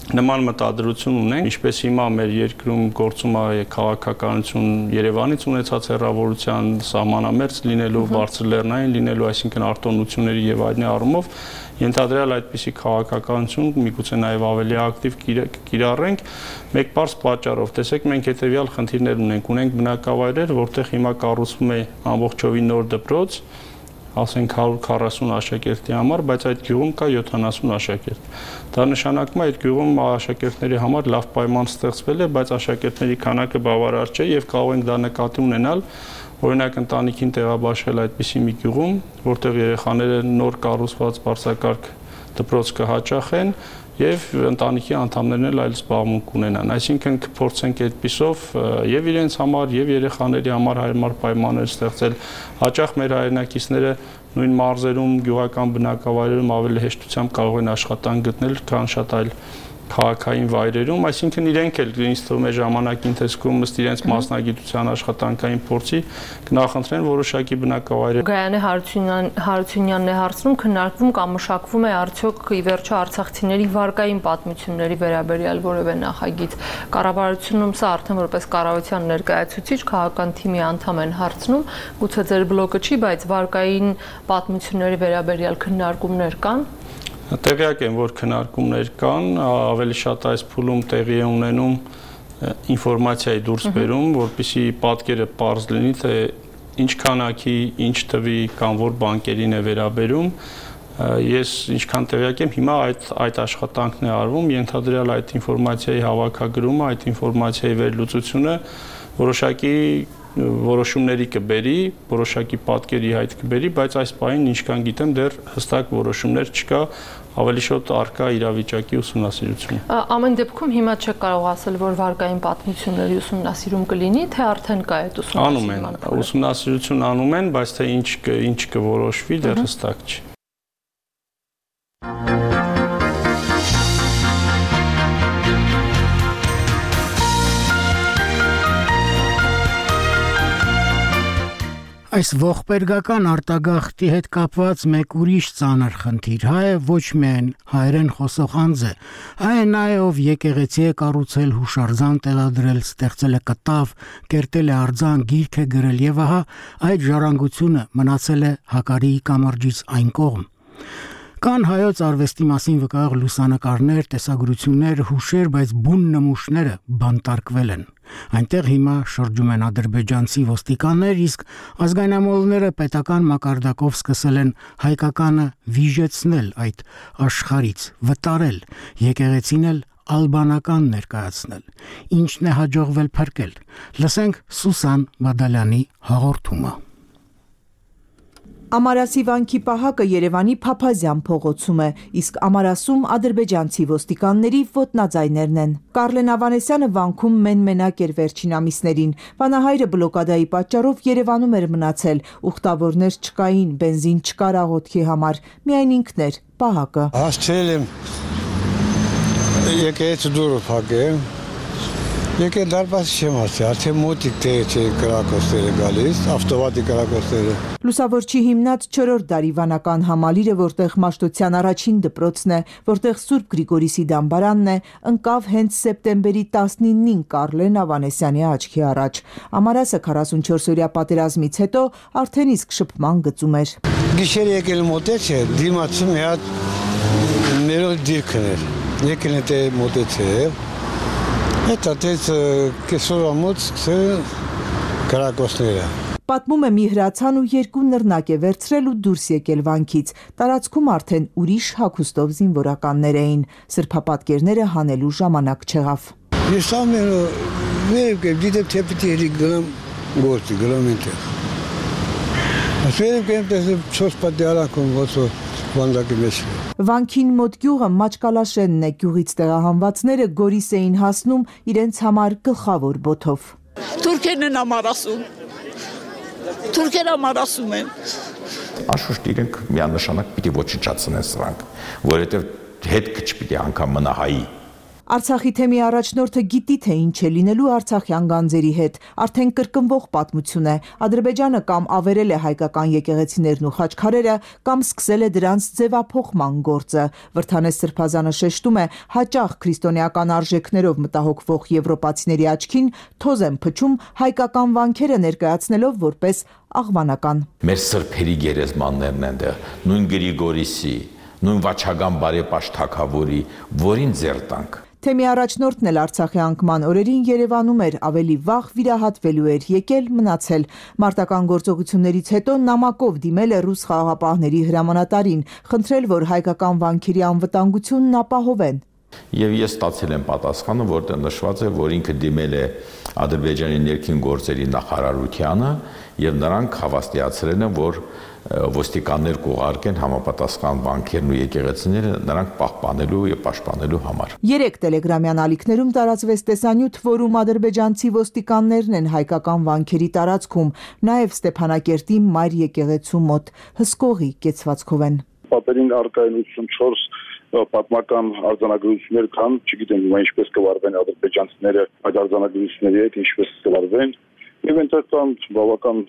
նման մտադրություն ունենք, ինչպես հիմա մեր երկրում գործում է քաղաքականություն Երևանից ունեցած հեռավորության սահմանամերձ լինելու, բարձր լեռնային լինելու, այսինքն արտոնությունների եւ այլն առումով ենթադրյալ այդպիսի քաղաքականություն միգուցե նաեւ ավելի ակտիվ կիրառենք մեկ բարձ պատճառով։ Տեսեք, մենք հետեւյալ խնդիրներ ունենք բնակավայրեր, որտեղ հիմա կառուցվում է ամբողջովին նոր դպրոց, ասենք 140 աշակերտի համար, բայց այդ գյուղում կա 70 աշակերտ։ Դա նշանակում է այդ գյուղում աշակերտների համար լավ պայման ստեղծվել է, բայց աշակերտների քանակը բավարար չէ եւ կարող ենք դա նկատի ունենալ, օրինակ ընտանիքին տեղաբաշխել այդպիսի մի գյուղում, որտեղ երեխաները նոր կառուցված բարձրակարգ դպրոց կհաճախեն եւ ընտանիքի անդամներն էլ այլ զբաղմունք ունենան։ Այսինքն կփորձենք այդպիսով եւ իրենց համար եւ երեխաների համար հարմար պայմաններ ստեղծել։ Հաճախ մեր հայրենակիցները նույն մարզերում, գյուղական բնակավայրերում ավելի հեշտությամբ կարող են աշխատանք գտնել, քան շատ այլ քաղաքային վայրերում, այսինքն իրենք էլ ինձ թվում է ժամանակի ընթացքում ըստ իրենց մասնագիտության աշխատանքային փորձի կնախընտրեն որոշակի բնակավայրեր։ Գայանե Հարությունյանն է հարցնում, քննարկվում կամ մշակվում է արդյոք ի վերջո արցախցիների վարկային պատմությունների վերաբերյալ որևէ նախագիծ։ Կառավարությունում սա արդեն որպես կառավարության ներկայացուցիչ քաղաքական թիմի անդամ են հարցնում, գուցե ձեր բլոկը չի, բայց վարկային պատմությունների վերաբերյալ քննարկումներ կան։ Տեղյակ եմ, որ քննարկումներ կան, ավելի շատ այս փուլում տեղի է ունենում ինֆորմացիայի դուրս բերում, որպեսզի պատկերը պարզ լինի, թե ինչ քանակի, ինչ թվի կամ որ բանկերին է վերաբերում։ Ես ինչքան տեղյակ եմ, հիմա այդ աշխատանքն է արվում, ենթադրյալ այդ ինֆորմացիայի հավաքագրումը, այդ ինֆորմացիայի վերլուծությունը որոշակի որոշումների կբերի, որոշակի պատկերի հայտ կբերի, բայց այս պահին ինչքան գիտեմ դեռ հստակ որոշումներ չկա, ավելի շուտ առկա իրավիճակի ուսումնասիրությունը։ Ամեն դեպքում հիմա չեք կարող ասել, որ վարկային պատմությունների ուսումնասիրում կլինի, թե արդեն կա այդ ուսումնասիրման։ Անում են, ուսումնասիրություն անում են, բայց թե ինչ կորոշվի դեռ հստակ չի։ Այս ողբերգական արտագաղթի հետ կապված մեկ ուրիշ ծանր խնդիր հայ է ոչ միայն հայերեն խոսող անձ է, այ նաև ով եկեղեցի է կառուցել, հուշարձան տեղադրել, ստեղծել է կտավ, կերտել է արձան, գիրք է գրել եւ ահա այդ ժառանգությունը մնացել է հակարիի կամրջից այն կողմ։ Կան հայոց արվեստի մասին վկայող լուսանկարներ, տեսագրություններ, հուշեր, բայց բուն նմուշները բանտարկվել են։ Այնտեղ հիմա շրջում են ադրբեջանցի ոստիկաններ, իսկ ազգայնամոլները պետական մակարդակով սկսել են հայկականը վիժեցնել այդ աշխարից, վտարել, եկեղեցին էլ ալբանական ներկայացնել։ Ինչն է հաջողվել փրկել։ Լսենք Սուսան Բադալյանի հաղորդումը։ Ամարասի վանքի պահակը Երևանի Փափազյան փողոցում է, իսկ Ամարասում ադրբեջանցի ոստիկանների ոտնաձայներն են։ Կարլեն Ավանեսյանը վանքում մենմենակ էր վերջին ամիսներին։ Վանահայրը բլոկադայի պատճառով Երևանում էր մնացել, ուխտավորներ չկային, բենզին չկար աղոթքի համար, միայն ինքն էր պահակը։ Հասցրել եմ եկեղեցու դուռը փակել։ Եկել դարպասի չեմ հասցրել, արդեն մոտիկ չէ կրակոցները գալիս, ավտոմատիկ կրակոցները։ Լուսավորչի հիմնած 4-րդ դարի վանական համալիրը, որտեղ Մաշտոցյան առաջին դպրոցն է, որտեղ Սուրբ Գրիգորիսի դամբարանն է, ընկավ հենց սեպտեմբերի 19-ին Կարլեն Ավանեսյանի աչքի առաջ։ Ամարասը 44-օրյա պատերազմից հետո արդեն իսկ շփման գծում էր։ Գիշեր եկել մոտեց է, դիմացում մի հատ ներոլ դիրքն էր, եկել է մոտեց է, հետ ատեց կեսոր ամոց կրակոցները։ Պատմում է մի հրացան ու 2 նռնակ է վերցրել ու դուրս եկել վանքից։ Տարածքում արդեն ուրիշ հագուստով զինվորականներ էին։ Սրբապատկերները հանելու ժամանակ չեղավ։ Ես ամենը վերև գիտեմ թե պիտի հերի գնամ գործի, գնամ ինտեղ։ Ասվերև կեմ տեսեմ 4 պատյարանքում ոսո վանդակի մեջ։ Վանքին մոտ գյուղը Մաճկալաշենն է, գյուղից տեղահանվածները Գորիս էին հասնում իրենց համար գլխավոր բոթով։ Թուրքերն են ամարասում։ Թուրքերը ամարասում են։ Անշուշտ իրենք միանշանակ պիտի ոչնչացնեն սրանք, որովհետև հետք չպիտի անգամ մնա հայի։ Արցախի թեմի առաջնորդը գիտի թե ինչ է լինելու արցախյան գանձերի հետ, արդեն կրկնվող պատմություն է։ Ադրբեջանը կամ ավերել է հայկական եկեղեցիներն ու խաչքարերը, կամ սկսել է դրանց ձևափոխման գործը։ Վրթանես Սրբազանը շեշտում է, հաճախ քրիստոնեական արժեքներով մտահոգվող եվրոպացիների աչքին թոզ են փչում հայկական վանքերը ներկայացնելով որպես աղվանական։ Մեր սրբերի գերեզմաններն են դեռ, նույն Գրիգորիսի, նույն Վաչագան բարեպաշտ թագավորի, որին ձեռ տանք։ Թեմի առաջնորդն էլ Արցախի անկման օրերին Երևանում էր, ավելի վաղ վիրահատվելու էր, եկել մնացել։ Մարտական գործողություններից հետո նամակով դիմել է ռուս խաղաղապահների հրամանատարին, խնդրել, որ հայկական վանքերի անվտանգությունն ապահովեն։ Եվ ես ստացել եմ պատասխանը, որտեղ նշված է, որ ինքը դիմել է Ադրբեջանի ներքին գործերի նախարարությանը եւ նրանք հավաստիացրել են, որ ոստիկաններ կուղարկեն համապատասխան վանքերն ու եկեղեցիները նրանք պահպանելու եւ պաշտպանելու համար։ 3 տելեգրամյան ալիքներում տարածվեց տեսանյութ, որում ադրբեջանցի ոստիկաններն են հայկական վանքերի տարածքում, նաեւ Ստեփանակերտի մայր եկեղեցու մոտ հսկողի կեցվածքով են։ Պատերին արկայնություն 4 պատմական արձանագրություններ կան, չգիտեմ հիմա ինչպես կվարվեն ադրբեջանցիները այդ արձանագրությունների հետ, ինչպես կվարվեն, եւ այնտեղ կան բավական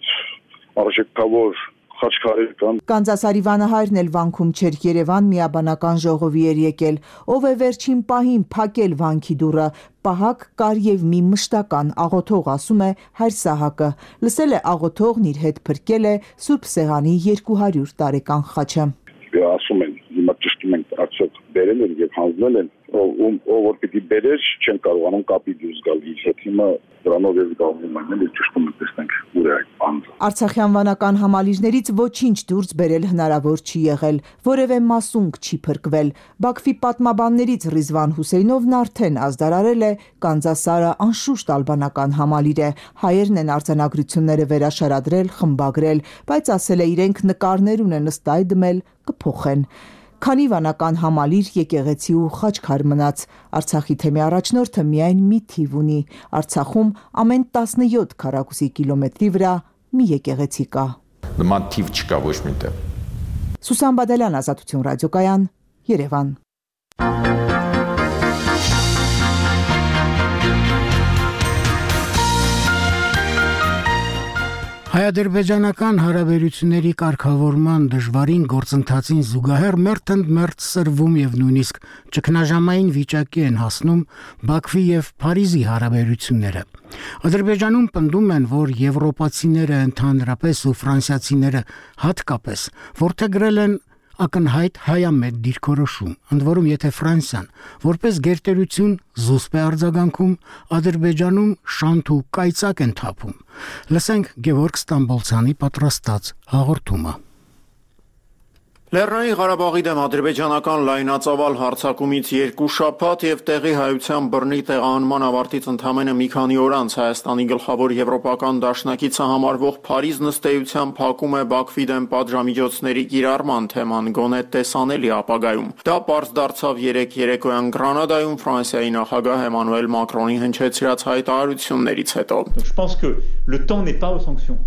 արժեքավոր խաչքարեր կան։ Կանզասարի վանահայրն էլ վանքում չէր, Երևան միաբանական ժողովի էր եկել, ով է վերջին պահին փակել վանքի դուռը, պահակ կար եւ մի մշտական աղոթող, ասում է հայր Սահակը, լսել է աղոթողն իր հետ փրկել է Սուրբ Սեղանի 200 տարեկան խաչը։ Ասում են, հիմա ճշտում են արդյոք բերել են եւ հանձնել են, ով որ պիտի բերեր, չեն կարողանում կապի դուրս գալ իր հետ, հիմա դրանով էլ գալու են, էլ ճշտում են, տեսնենք ուր է այդ անձը։ Արցախյան վանական համալիրներից ոչինչ դուրս բերել հնարավոր չի եղել, որևէ մասունք չի փրկվել։ Բաքվի պատմաբաններից Ռիզվան Հուսեյնովն արդեն ազդարարել է Կանզասարը անշուշտ ալբանական համալիր է, հայերն են արձանագրությունները վերաշարադրել, խմբագրել, բայց ասել է իրենք նկարներ ունեն, ըստ այդմ էլ կփոխեն։ Քանի վանական համալիր, եկեղեցի ու խաչքար մնաց, Արցախի թեմի առաջնորդը միայն մի թիվ ունի, Արցախում ամեն 17 քառակուսի կիլոմետրի վրա մի եկեղեցի կա։ Նման թիվ չկա ոչ միտեղ։ Սուսան Բադալյան, Ազատություն ռադիոկայան, Երևան։ Հայ-ադրբեջանական հարաբերությունների կարգավորման դժվարին գործընթացին զուգահեռ մերթ սրվում եւ նույնիսկ ճգնաժամային վիճակի են հասնում Բաքվի եւ Փարիզի հարաբերությունները։ Ադրբեջանում պնդում են, որ եվրոպացիները ընդհանրապես ու ֆրանսիացիները հատկապես որդեգրել են ակնհայտ հայամետ դիրքորոշում, ընդ որում եթե Ֆրանսիան որպես գերտերություն զուսպ է արձագանքում, Ադրբեջանում շանթ ու կայծակ են թափում։ Լսենք Գևորգ Ստամբոլցյանի պատրաստած հաղորդումը։ Լեռնային Ղարաբաղի դեմ ադրբեջանական լայնածավալ հարձակումից 2 շաբաթ եւ տեղի հայության բռնի տեղահանման ավարտից ընդամենը մի քանի օր անց Հայաստանի գլխավոր եվրոպական դաշնակիցը համարվող Փարիզ նստեյության փակում է Բաքվի դեմ պատժամիջոցների կիրառման թեման գոնե տեսանելի ապագայում։ Դա պարզ դարձավ երեկոյան Գրանադայում Ֆրանսիայի նախագահ Էմանուել Մակրոնի հնչեցրած հայտարարություններից հետո։ Je pense que le temps n'est pas aux sanctions.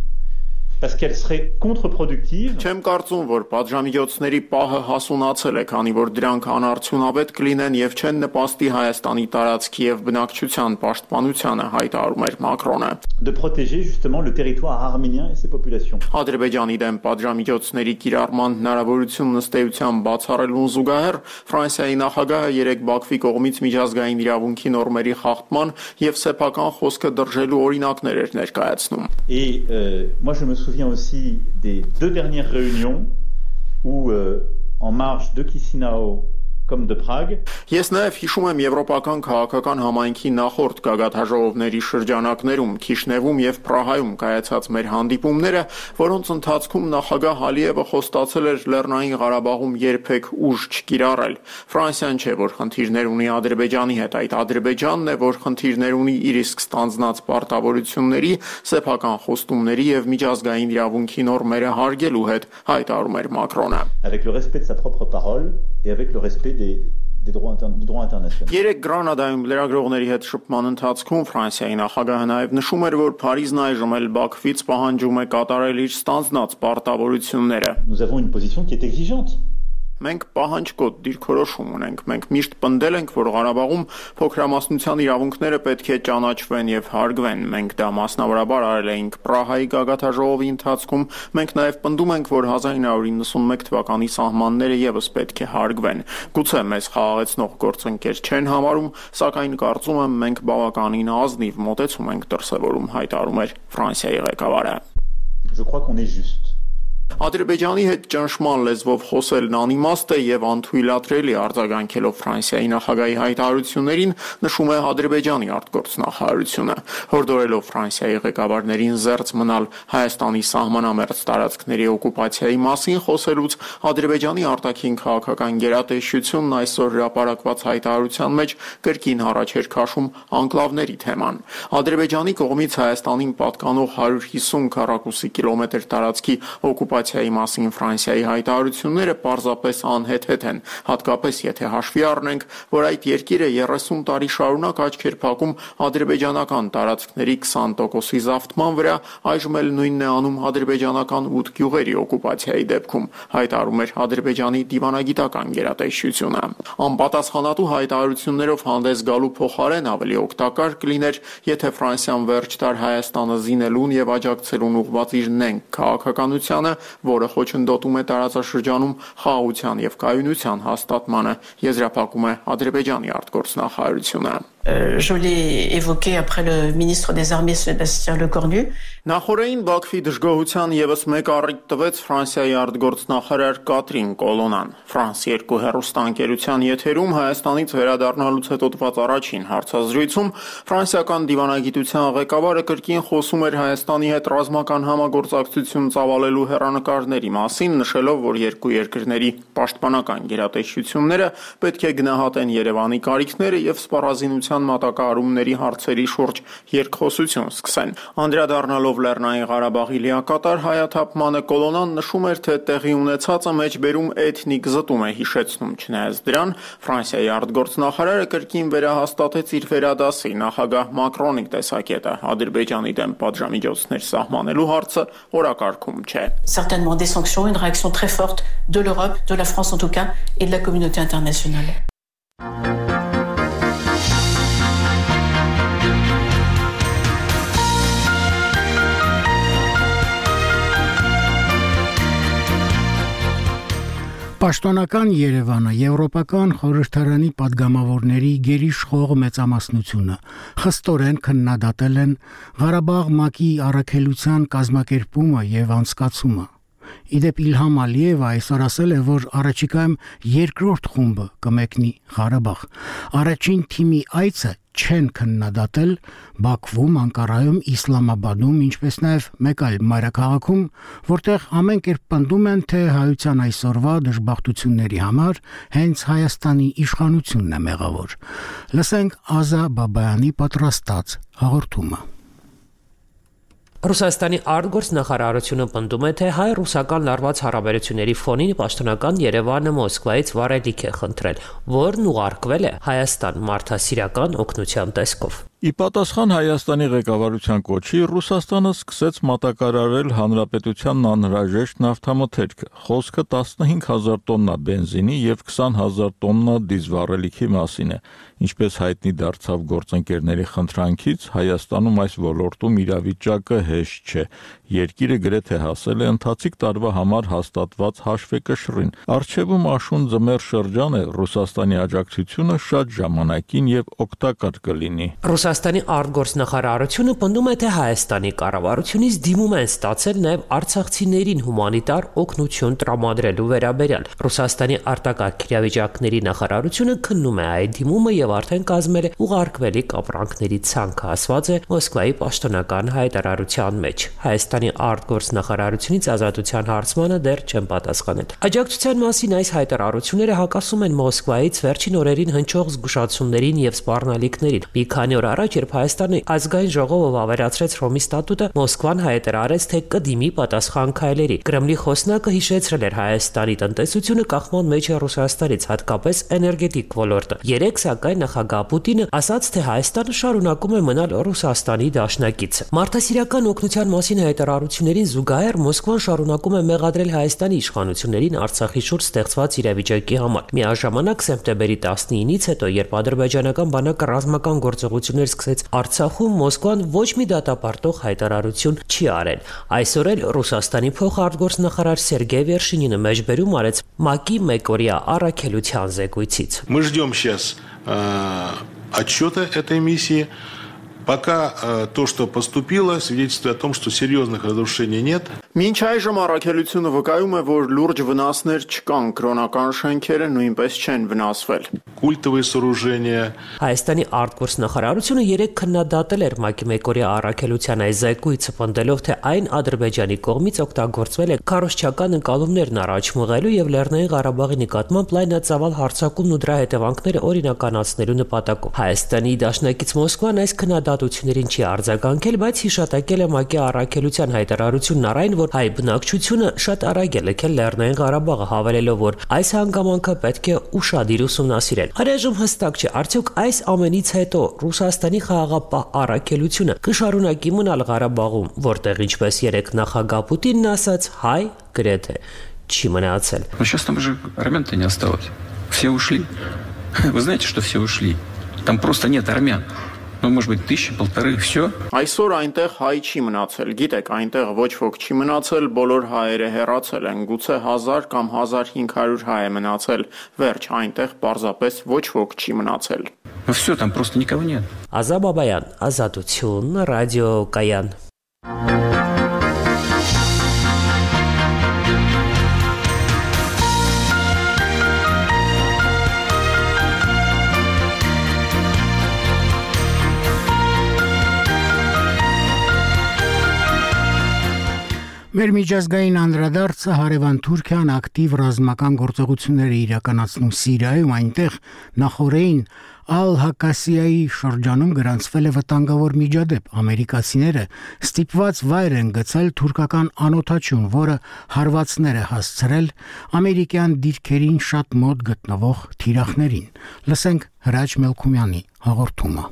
Parce qu'elle serait contre-productive. Չեմ կարծում, որ պատժամիջոցների պահը հասունացել է, քանի որ դրանք անարդյունավետ կլինեն եւ չեն նպաստի Հայաստանի տարածքի եւ բնակչության պաշտպանությանը, հայտարարում էր Մակրոնը։ De protéger justement le territoire arménien et ses populations. Ադրբեջանի դեմ պատժամիջոցների կիրառման հնարավորություն նստեյության բացառելուն զուգահեռ Ֆրանսիայի նախագահը երեկ Բաքվի կողմից միջազգային իրավունքի նորմերի խախտման եւ սեփական խոսքը դրժելու օրինակներ էր ներկայացնում։ Et moi je me souviens aussi des 2 dernières réunions où en marge de Chisinau comme de Prague. Ես նաև հիշում եմ եվրոպական քաղաքական համայնքի նախորդ գագաթաժողովների շրջանակներում Քիշնևում եւ Պրահայում կայացած մեր հանդիպումները, որոնց ընթացքում նախագահ Ալիևը խոստացել էր Լեռնային Ղարաբաղում երբեք ուժ չկիրառել։ Ֆրանսիան չէ, որ խնդիրներ ունի Ադրբեջանի հետ, այդ Ադրբեջանն է, որ խնդիրներ ունի իր իսկ ստանձնած պարտավորությունների, սեփական խոստումների եւ միջազգային իրավունքի նորմերը հարգելու հետ, հայտարարում էր Մակրոնը։ Avec le respect de sa propre parole et avec le respect du droit international. Երեք Գրանադայում լրագրողների հետ շփման ընթացքում Ֆրանսիայի նախագահը նաև նշում էր, որ Փարիզն այժմ էլ Բաքվից պահանջում է կատարել իր ստանձնած պարտավորությունները։ Nous avons une position qui est exigeante. Մենք պահանջկոտ դիրքորոշում ունենք, մենք միշտ պնդել ենք, որ Ղարաբաղում փոքրամասնության իրավունքները պետք է ճանաչվեն եւ հարգվեն։ Մենք դա մասնավորաբար արել էինք Պրահայի գագաթաժողովի ընթացքում, մենք նաեւ պնդում ենք, որ 1991 թվականի սահմանները եւս պետք է հարգվեն։ Գուցե մեզ խաղաղեցնող գործընկեր չեն համարում, սակայն կարծում եմ մենք բավականին ազնիվ մոտեցում ենք դրսևորում, հայտարարում էր Ֆրանսիայի ղեկավարը։ Je crois qu'on est juste. Ադրբեջանի հետ ճնշման լեզվով խոսելն անիմաստ է եւ անթույլատրելի արձագանքելով Ֆրանսիայի նախագահի հայտարարություններին, նշում է Ադրբեջանի արտգործնախարարությունը, հորդորելով Ֆրանսիայի ղեկավարներին զերծ մնալ Հայաստանի սահմանամերձ տարածքների օկուպացիայի մասին խոսելուց Ադրբեջանի արտաքին քաղաքական գերատեսչությունն այսօր հրապարակված հայտարարության մեջ կրկին առաջ էր քաշում անկլավների թեման։ Ադրբեջանի կողմից Հայաստանին պատկանող 150 քառակուսի կիլոմետր տարածքի օկուպացիայի օկուպացիայի մասին Ֆրանսիայի հայտարարությունները պարզապես անհեթեթ են, հատկապես եթե հաշվի առնենք, որ այդ երկիրը 30 տարի շարունակ աչքեր փակում ադրբեջանական տարածքների 20%-ի զավթման վրա, այժմ էլ նույնն է անում ադրբեջանական 8 գյուղերի օկուպացիայի դեպքում, հայտարարում էր Ադրբեջանի դիվանագիտական գերատեսչությունը։ Անպատասխանատու հայտարարություններով հանդես գալու փոխարեն ավելի օգտակար կլիներ, եթե Ֆրանսիան վերջ տար Հայաստանը զինելուն եւ աջակցելուն ուղղված իր նենգ քաղաքականությանը, որը խոչընդոտում է տարածաշրջանում խաղաղության եւ կայունության հաստատմանը, եզրափակում է Ադրբեջանի արտգործնախարարությունը։ Je l'ai évoqué après le ministre des Armées Sébastien Lecornu. Նախորդին Բաքվի դժգոհության եւս մեկ առիթ տվեց Ֆրանսիայի արտգործնախարար Կատրին Կոլոնան։ Ֆրանս 2 հեռուստաընկերության եթերում Հայաստանից վերադառնալուց հետո տված առաջին հարցազրույցում ֆրանսիական դիվանագիտության ղեկավարը կրկին խոսում էր Հայաստանի հետ ռազմական համագործակցություն ծավալելու հեռանկարների մասին, նշելով, որ երկու երկրների պաշտպանական գերատեսչությունները պետք է գնահատեն Երևանի կարիքները եւ սպառազինության մատակարարումների հարցերի շուրջ երկխոսություն սկսեն։ Անդրադառնալով Լեռնային Ղարաբաղի լիակատար հայաթափմանը, Կոլոնան նշում էր, թե տեղի ունեցածը մեջբերում էթնիկ զտում է հիշեցնում, չնայած դրան Ֆրանսիայի արտգործնախարարը կրկին վերահաստատեց իր վերադասի նախագահ Մակրոնի տեսակետը Ադրբեջանի դեմ պատժամիջոցներ սահմանելու հարցը օրակարգում չէ։ Certainement des sanctions, une réaction très forte de l'Europe, de la France en tout cas, et de la communauté internationale. Պաշտոնական Երևանը Եվրոպական խորհրդարանի падգամավորների գերիշխող մեծամասնությունը խստորեն քննադատել են Ղարաբաղ ՄԱԿ-ի առաքելության կազմակերպումը եւ անցկացումը։ Իդեպ Իլհամ Ալիևը այսօր ասել է, որ առաջիկայում երկրորդ խումբը կմեկնի Ղարաբաղ։ Առաջին թիմի այցը չեն քննադատել Բաքվում, Անկարայում, Իսլամաբադում, ինչպես նաև մեկ այլ մայրաքաղաքում, որտեղ ամեն կերպ պնդում են, թե հայության այսօրվա դժբախտությունների համար հենց Հայաստանի իշխանությունն է մեղավոր։ Լսենք Ազա Բաբայանի պատրաստած հաղորդումը։ Ռուսաստանի արտգործնախարարությունը պնդում է, թե հայ-ռուսական լարված հարաբերությունների ֆոնին պաշտոնական Երևանը Մոսկվայից վառելիք է խնդրել, որն ուղարկվել է Հայաստան մարդասիրական օգնության տեսքով։ Ի պատասխան Հայաստանի ղեկավարության կոչի, Ռուսաստանը սկսեց մատակարարել հանրապետությանն անհրաժեշտ նավթամթերքը։ Խոսքը 15,000 տոննա բենզինի եւ 20,000 տոննա դիզվառելիքի մասին է։ Ինչպես հայտնի դարձավ գործընկերների խնդրանքից, Հայաստանում այս ոլորտում իրավիճակը հեշտ չէ։ Երկիրը գրեթե հասել է ընթացիկ տարվա համար հաստատված հաշվեկշռին։ Առջևում աշուն ձմեռ շրջան է, Ռուսաստանի աջակցությունը շատ ժամանակին եւ օգտակար կլինի։ Ռուսաստանի արտգործնախարարությունը պնդում է, թե Հայաստանի կառավարությունից դիմում են ստացել նաև արցախցիներին հումանիտար օգնություն տրամադրելու վերաբերյալ։ Ռուսաստանի արտակարգ իրավիճակների նախարարությունը քննում է այդ դիմումը եւ արդեն կազմել է ուղարկվելիք ապրանքների ցանկը, ասված է Մոսկվայի պաշտոնական հայտարարության մեջ։ Հայաստանի արտգործնախարարությունից ազատության հարցմանը դեռ չեն պատասխանել։ Աջակցության մասին այս հայտարարությունները հակասում են Մոսկվայից վերջին օրերին հնչող զգուշացումներին եւ սպառնալիքներին։ Մի քանի օր առաջ, երբ Հայաստանի ազգային ժողովը վավերացրեց Ռոմի ստատուտը, Մոսկվան հայտարարեց, թե կդիմի պատասխան քայլերի։ Կրեմլի խոսնակը հիշեցրել էր Հայաստանի տնտեսությունը կախման մեջ է Ռուսաստանից, հատկապես էներգետիկ ոլորտը։ Երեք սակայն նախագահ Պուտինը ասաց, թե Հայաստանը շարունակում է մնալ Ռուսաստանի դաշնակիցը։ Մարդասիրական օգնության մասին հայտարարություններին զուգահեռ Մոսկվան շարունակում է մեղադրել Հայաստանի իշխանություններին Արցախի շուրջ ստեղծված իրավիճակի համար։ Միաժամանակ սեպտեմբերի 19-ից հետո, երբ ադրբեջանական բանակը ռազմական գործողություններ սկսեց Արցախում, Մոսկվան ոչ մի դատապարտող հայտարարություն չի արել։ Այսօր էլ Ռուսաստանի փոխարտգործնախարար Սերգեյ Վերշինինը մեջբերում արեց ՄԱԿ-ի մեկօրյա առաքելության զեկույցից։ Мы ждем сейчас отчета этой миссии. Пока то, что поступило, свидетельствует о том, что серьезных разрушений нет. Մինչ այժմ առաքելությունը վկայում է, որ լուրջ վնասներ չկան, կրոնական շենքերը նույնպես չեն վնասվել։ Культовые сооружения. Հայաստանի արտգործնախարարությունը երեք քննադատել էր ՄԱԿ-ի մեկօրյա առաքելության այս զեկույցը, պնդելով, թե այն Ադրբեջանի կողմից օգտագործվել է քարոզչական ընկալումներն առաջ մղելու եւ Լեռնային Ղարաբաղի նկատմամբ լայնածավալ հարձակումն ու դրա հետևանքները օրինականացնելու նպատակով։ Հայաստանի դաշնակից Մոսկվան այս քննադատությունները ազատություններին չի արձագանքել, բայց հիշատակել է ՄԱԿ-ի առաքելության հայտարարությունն առ այն, որ հայ բնակչությունը շատ արագ է լքել Լեռնային Ղարաբաղը, հավելելով, որ այս հանգամանքը պետք է ուշադիր ուսումնասիրել։ Այժմ հստակ չէ, արդյոք այս ամենից հետո Ռուսաստանի խաղաղապահ առաքելությունը կշարունակի մնալ Ղարաբաղում, որտեղ ինչպես երեք նախագահ Պուտինն ասաց, հայ գրեթե չի մնացել։ Но сейчас там уже армян-то не осталось. Все ушли. Вы знаете, что все ушли? Там просто нет армян. Ну, может быть, 1000-1500, все. Այսօր այնտեղ հայ չի մնացել։ Գիտեք, այնտեղ ոչ ոք չի մնացել, բոլոր հայերը հեռացել են։ Գուցե 1000 կամ 1500 հայ է մնացել։ Վերջ, այնտեղ պարզապես ոչ ոք չի մնացել։ Ну все, там просто никого нет. Ազատ Բաբայան, Ազատություն, ռադիո Կայան։ Մեր միջազգային անդրադարձը հարևան Թուրքիան ակտիվ ռազմական գործողություններ է իրականացնում Սիրիայում, այնտեղ նախորդին Ալ-Հակասիայի շրջանում գրանցվել է վտանգավոր միջադեպ։ Ամերիկացիները ստիպված վայր են գցել թուրքական անօթաչուն, որը հարվածներ է հասցրել ամերիկյան դիրքերին շատ մոտ գտնվող թիրախներին։ Լսենք Հրաչ Մելքումյանի հաղորդումը։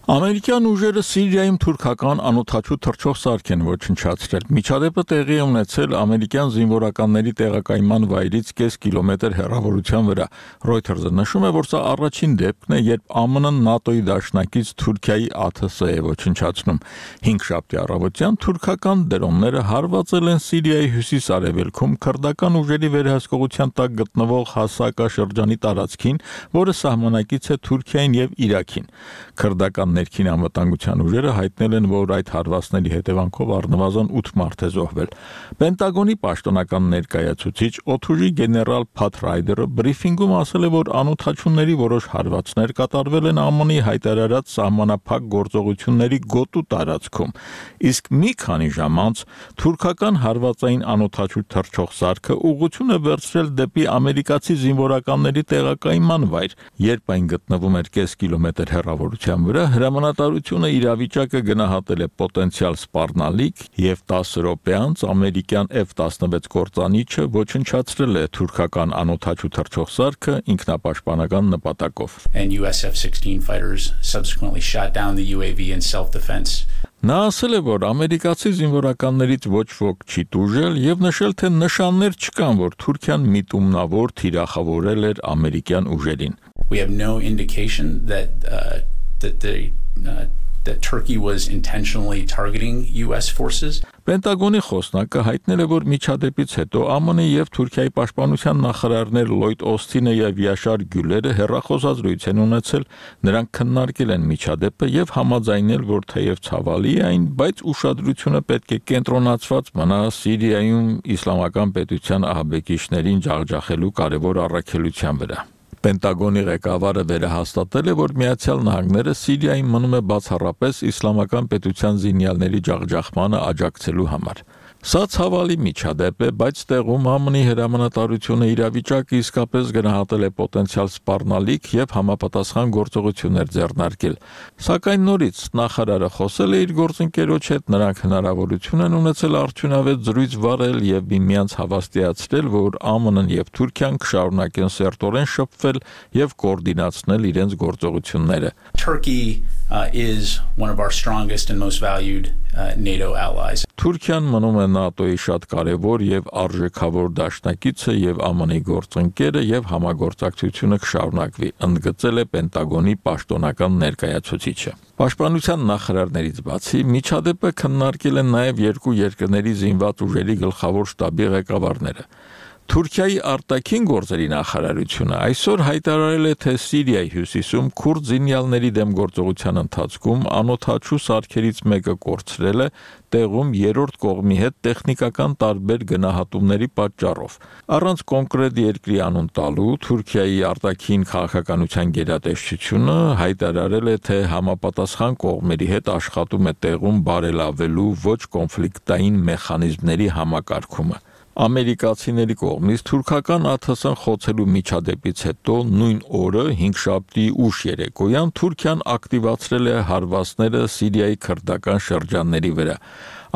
Ամերիկյան ուժերը Սիրիայում թուրքական անօթաչու թռչող սարք են ոչնչացրել։ Միջադեպը տեղի է ունեցել ամերիկյան զինվորականների տեղակայման վայրից կես կիլոմետր հեռավորության վրա։ Reuters-ը նշում է, որ սա առաջին դեպքն է, երբ ԱՄՆ-ն ՆԱՏՕ-ի դաշնակից Թուրքիայի ԱԹՍ է ոչնչացնում։ 5 շաբթի առավոտյան թուրքական դրոնները հարվածել են Սիրիայի հյուսիս-արևելքում քրդական ուժերի վերահսկողության տակ գտնվող Հասակա շրջանի տարածքին, որը սահմանակից է Թուրքիային եւ Իրաքին։ Քրդական ներքին անվտանգության ուժերը հայտնել են, որ այդ հարվածների հետևանքով առնվազն 8 մարդ է զոհվել։ Պենտագոնի պաշտոնական ներկայացուցիչ օդուժի գեներալ Փաթ Ռայդերը բրիֆինգում ասել է, որ անօթաչունների որոշ հարվածներ կատարվել են ԱՄՆ-ի հայտարարած սահմանափակ գործողությունների գոտու տարածքում, իսկ մի քանի ժամ անց թուրքական հարվածային անօթաչու թռչող սարքը ուղղություն է վերցրել դեպի ամերիկացի զինվորականների տեղակայման վայր, երբ այն գտնվում էր կես կիլոմետր հեռավորության վրա, հրամանատարությունը իրավիճակը գնահատել է պոտենցիալ սպառնալիք եւ 10 րոպե անց ամերիկյան F-16 կործանիչը ոչնչացրել է թուրքական անօթաչու թռչող սարքը ինքնապաշտպանական նպատակով։ And US F-16 fighters subsequently shot down the UAV in self-defense. Նա ասել է, որ ամերիկացի զինվորականներից ոչ ոք չի տուժել եւ նշել, թե նշաններ չկան, որ Թուրքիան միտումնավոր թիրախավորել էր ամերիկյան ուժերին։ We have no indication that Turkey was intentionally targeting US forces. Պենտագոնի խոսնակը հայտնել է, որ միջադեպից հետո ԱՄՆ եւ Թուրքիայի պաշտպանության նախարարներ Լոյդ Օսթինը եւ Յաշար Գյուլերը հեռախոսազրույց են ունեցել, նրանք քննարկել են միջադեպը եւ համաձայնել, որ թեև ցավալի է այն, բայց ուշադրությունը պետք է կենտրոնացված մնա Սիրիայում իսլամական պետության ահաբեկիչներին ջախջախելու կարևոր առաքելության վրա։ Պենտագոնի ղեկավարը վերահաստատել է, որ Միացյալ Նահանգները Սիրիայում մնում է բացառապես իսլամական պետության զինյալների ջախջախմանը աջակցելու համար։ Սա ցավալի միջադեպ է, բայց տեղում ԱՄՆ-ի հրամանատարությունը իրավիճակը իսկապես գնահատել է պոտենցիալ սպառնալիք եւ համապատասխան գործողություններ ձեռնարկել։ Սակայն նորից նախարարը խոսել է իր գործընկերոջ հետ, նրանք հնարավորություն են ունեցել արդյունավետ զրույց վարել եւ միմյանց հավաստիացրել, որ ԱՄՆ-ն եւ Թուրքիան կշարունակեն սերտորեն շփվել եւ կոորդինացնել իրենց գործողությունները։ Turkey is one of our strongest and most valued NATO allies. Թուրքիան մնում է ՆԱՏՕ-ի շատ կարևոր եւ արժեքավոր դաշնակիցը եւ ԱՄՆ-ի գործընկերը եւ համագործակցությունը կշարունակվի, ընդգծել է Պենտագոնի պաշտոնական ներկայացուցիչը։ Պաշտպանության նախարարներից բացի միջադեպը քննարկել են նաեւ երկու երկրների զինված ուժերի գլխավոր շտաբի ղեկավարները։ Թուրքիայի արտաքին գործերի նախարարությունը այսօր հայտարարել է, թե Սիրիայի հյուսիսում քուրդ զինյալների դեմ գործողության ընթացքում անօթաչու սարքերից մեկը կորցրել է տեղում երրորդ կողմի հետ տեխնիկական տարբեր գնահատումների պատճառով։ Առանց կոնկրետ երկրի անուն տալու Թուրքիայի արտաքին քաղաքականության գերատեսչությունը հայտարարել է, թե համապատասխան կողմերի հետ աշխատում է տեղում բարելավելու ոչ կոնֆլիկտային մեխանիզմների համակարգումը։ Ամերիկացիների կողմից թուրքական ԱԹՍ-ն խոցելու միջադեպից հետո նույն օրը 5-շաբթի ուշ երեկոյան Թուրքիան ակտիվացրել է հարվածները Սիրիայի քրդական շրջանների վրա։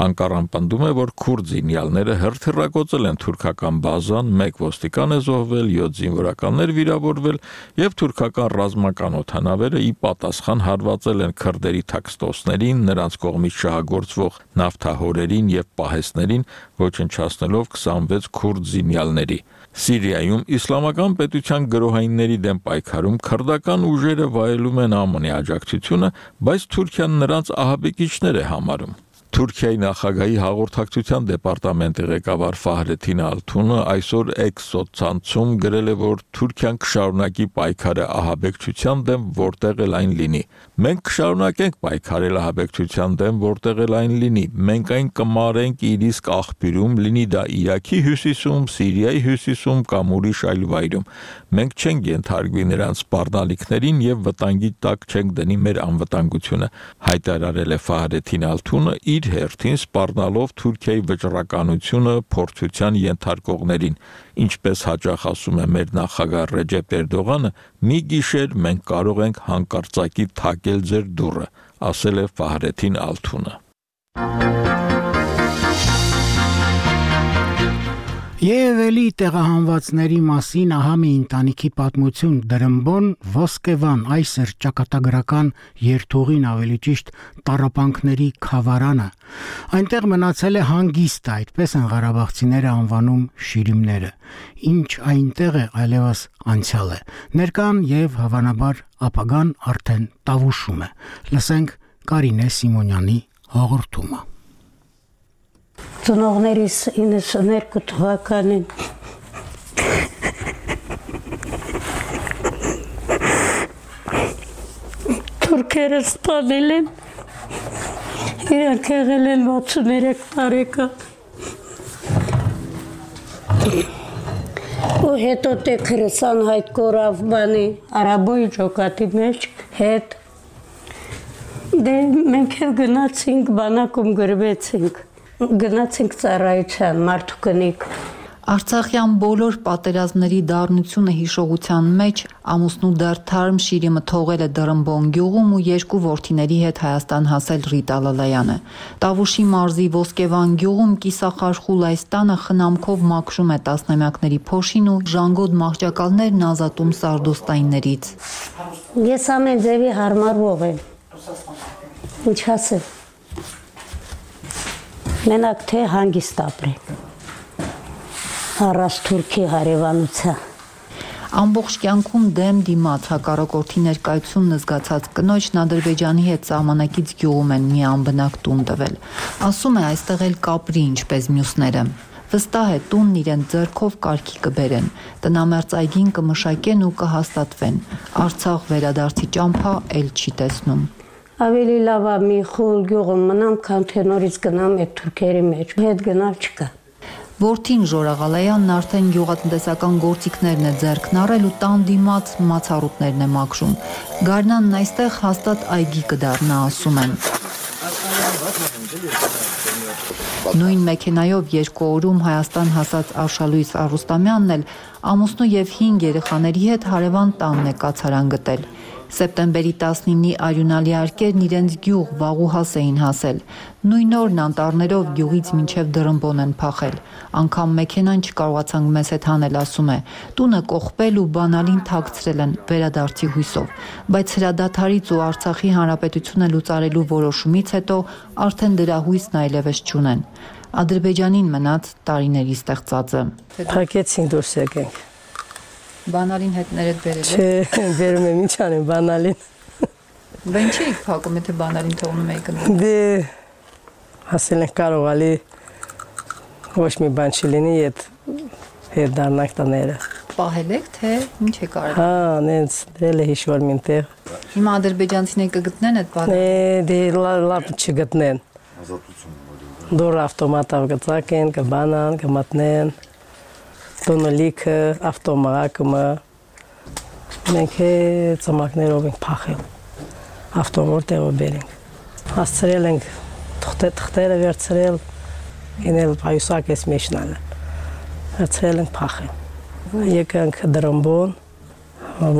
Անկարան պնդում է, որ քուրդ զինյալները հրթիռակոծել են թուրքական բազան, 1 ոստիկան է զոհվել, 7 զինվորականներ վիրավորվել եւ թուրքական ռազմական օդանավերը ի պատասխան հարվածել են քրդերի թաքստոցներին, նրանց կողմից շահագործվող նավթահորերին եւ պահեստներին, ոչնչացնելով 26 քուրդ զինյալների։ Սիրիայում իսլամական պետության գրոհայինների դեմ պայքարում քրդական ուժերը վայելում են ԱՄՆ-ի աջակցությունը, բայց Թուրքիան նրանց ահաբեկիչներ է համարում։ Թուրքիայի նախագահի հաղորդակցության դեպարտամենտի ղեկավար Ֆահրեթին Ալթունը այսօր X սոցցանցում գրել է, որ Թուրքիան կշարունակի պայքարը ահաբեկչության դեմ, որտեղ էլ այն լինի։ Մենք կշարունակենք պայքարել ահաբեկչության դեմ, որտեղ էլ այն լինի։ Մենք այն կմարենք իր իսկ աղբյուրում, լինի դա Իրաքի հյուսիսում, Սիրիայի հյուսիսում կամ ուրիշ այլ վայրում։ Մենք չենք ենթարկվի նրանց սպառնալիքներին եւ վտանգի տակ չենք դնի մեր անվտանգությունը, հայտարարել է Ֆահրեթին Ալթունը իր հերթին սպառնալով Թուրքիայի վճռականությունը փորձության ենթարկողներին։ Ինչպես հաճախ ասում է մեր նախագահ Ռեջեփ Էրդողանը, մի գիշեր մենք կարող ենք հանկարծակի թակել ձեր դուռը, ասել է Ֆահրեթին Ալթունը։ Եվ էլի տեղահանվածների մասին ահա մի ընտանիքի պատմություն Դրմբոն Ոսկեվան, այսօր ճակատագրական երթուղին, ավելի ճիշտ տառապանքների խավարանը։ Այնտեղ մնացել է հանգիստը, այդպես են ղարաբաղցիները անվանում շիրիմները։ Ինչ այնտեղ է, այլևս անցյալ է։ Ներկան եւ հավանաբար ապագան արդեն տավուշում է։ Լսենք Կարինե Սիմոնյանի հաղորդումը։ Ծնողներիս 92 թվականին թուրքերը սպանել են, իրանք եղել են 63 տարեկան ու հետո տեքրս անհայտ կորավ բանի արաբոյի ջոկատի մեջ հետ դե մենք էլ գնացինք բանակում գրվեցինք գնացինք ծառայության մարդուկնիկ Արցախյան բոլոր պատերազմների դառնությունը հիշողության մեջ ամուսնու դեռ թարմ շիրիմը թողել է Դրմբոն գյուղում ու 2 որդիների հետ Հայաստան հասել Ռիտա Լալայանը։ Տավուշի մարզի Ոսկեվան գյուղում կիսախարխուլ այս տանը խնամքով մաքրում է տասնամյակների փոշին ու ժանգոտ մահճակալներն ազատում սարդոստայիններից։ Ես ամեն ձևի հարմարվող եմ։ Ինչ ասեմ։ Մենակ թե հանգիստ ապրենք, առանց թուրքի հարևանության։ Ամբողջ կյանքում դեմ դիմաց հակառակորդի ներկայությունն զգացած կնոջն Ադրբեջանի հետ սահմանակից գյուղում են մի անբնակ տուն տվել։ Ասում է այստեղ էլ կապրի ինչպես մյուսները։ Վստահ է տունն իրեն ձեռքով կարգի կբերեն, տնամերձ այգին կմշակեն ու կհաստատվեն։ Արցախ վերադարձի ճամփա էլ չի տեսնում։ Ավելի լավ է մի խուլ գյուղում մնամ, քան թե նորից գնամ այդ թուրքերի մեջ, հետ գնալ չկա։ Որդին Ժորաղալայանն արդեն գյուղատնտեսական գործիքներն է ձեռքն առել ու տան դիմաց մացառուտներն է մաքրում։ Գարնանն այստեղ հաստատ այգի կդառնա, ասում են։ Նույն մեքենայով 2 օրում Հայաստան հասած Արշալույս Արուստամյանն էլ ամուսնու եւ 5 երեխաների հետ հարևան տանն է կացարան գտել։ Սեպտեմբերի 19-ի արյունալի արկերն իրենց գյուղ Վաղուհաս էին հասել։ Նույն օրն անտառներով գյուղից մինչև Դրմբոն են փախել։ Անգամ մեքենան չկարողացանք մեզ հետ հանել, ասում է։ Տունը կողպել ու բանալին թաքցրել են վերադարձի հույսով։ Բայց հրադադարից ու Արցախի հանրապետությունը լուծարելու որոշումից հետո արդեն դրա հույսն այլևս չունեն։ Ադրբեջանին մնաց տարիների ստեղծածը։ Փակեցին դուրս եկենք։ Բանալին հետ ներդ բերել է։ Չէ, բերում եմ ինչ անեմ բանալին։ Բա ինչի եք փակում, եթե բանալին թողնում եք ընդ։ Դե ասել են կարողալի ոչ մի բան չլինի, հետ դառնանք տները։ Պահել եք, թե ինչ եք արել։ Հա, նենց դրել է հիշվոր մինտեղ։ Հիմա ադրբեջանցիները կգտնեն այդ բանը։ Դե լավ չգտնեն։ Դուր ավտոմատով կծակեն, կբանան, կմատնեն։ Տոնոլիքը, ավտոմակը, մենք ծմակներով ենք փախել, ավտոմոր տեղով բերենք, հասցրել ենք թղթերը վերցրել, ենել պայուսակ ես մեջնալը, Հացել ենք փախել։ Եկանք դրամբոն,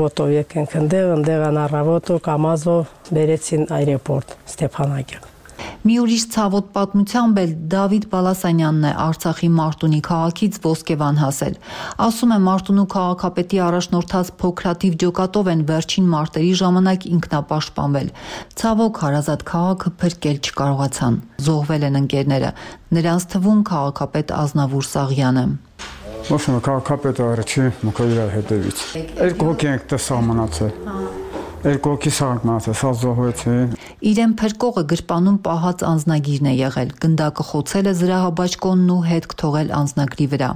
ոտով եկանք ընդեղ անառավոտով կամազով բերեցին այրեպորտ Ստեփանակերտ։ Մի ուրիշ ցավոտ պատմությամբ էլ Դավիթ Բալասանյանն է Արցախի Մարտունի քաղաքից Ոսկեվան հասել։ Ասում է Մարտունու քաղաքապետի առաջնորդած փոքրաթիվ ջոկատով են վերջին մարտերի ժամանակ ինքնապաշտպանվել։ Ցավոք հարազատ քաղաքը փրկել չկարողացան։ Զոհվել են ընկերները։ Նրանց թվում քաղաքապետ Ազնավուր Սաղյանը։ Ոսկե քաղաքապետը առաջի մոկայրա հետևից։ Երկու հոգի ենք տեսամնացել։ Երկու հոգի սաղանք մնացել, սա զոհվեցին։ Իրեն փրկողը գրպանում պահած անձնագիրն է եղել, գնդակը խոցել է զրահաբաճկոնն ու հետք թողել անձնագրի վրա։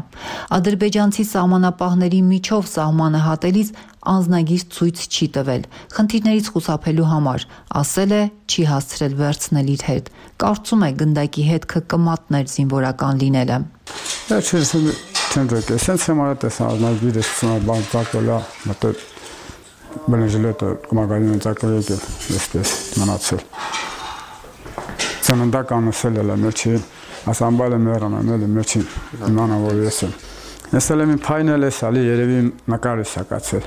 Ադրբեջանցի սահմանապահների միջով սահմանը հատելիս անձնագիր ցույց չի տվել, խնդիրներից խուսափելու համար, ասել է չի հասցրել վերցնել իր հետ, կարծում է գնդակի հետքը կմատներ զինվորական լինելը։ Սենց համար տեսա անձնագիրը բանտակոլա մտել բնեժլետը կմագալին ծակել եկել, եսպես մնացել։ Ծննդական ասել էլ է մեջին, ասամբալ է մերան ամել է մեջին, իմանա որ ես եմ։ Եսել եմ պայնել ես ալի երևի նկար է սակացել,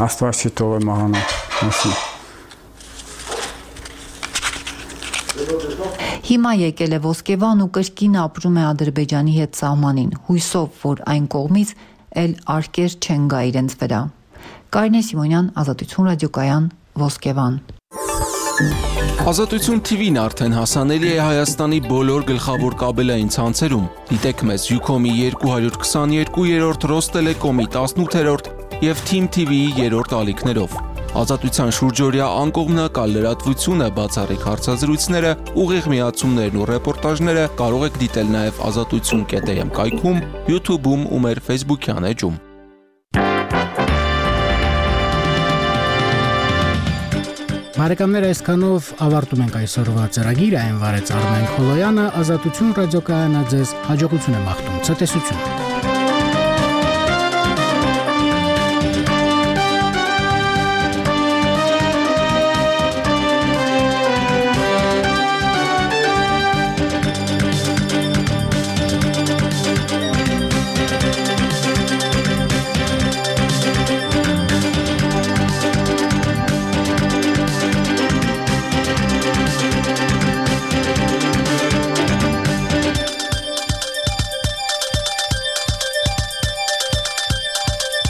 աստված չի թող է մահանա, ասին։ Հիմա եկել է Ոսկեվան ու կրկին ապրում է Ադրբեջանի հետ սահմանին, հույսով, որ այն կողմից էլ արկեր չեն գա իրենց վրա։ Կարինե Սիմոնյան, Ազատություն ռադիոկայան, Ոսկեվան։ Ազատություն TV-ն արդեն հասանելի է Հայաստանի բոլոր գլխավոր կաբելային ցանցերում։ Դիտեք մեզ Ucom-ի 222-րդ, Ռոստելեկոմի 18-րդ եւ Team TV-ի 3-րդ ալիքներով։ Ազատության շուրջօրյա անկողմնակալ լրատվությունը, բացառիկ հարցազրույցները, ուղիղ միացումներն ու ռեպորտաժները կարող եք դիտել նաեւ azatutsun.am կայքում, YouTube-ում ու մեր Facebook-յան էջում։ Բարեկամներ, այսքանով ավարտում ենք այսօրվա ծրագիրը, այն վարեց Արմեն Խոլոյանը, Ազատություն ռադիոկայանը ձեզ հաջողություն է մաղթում, ցտեսություն։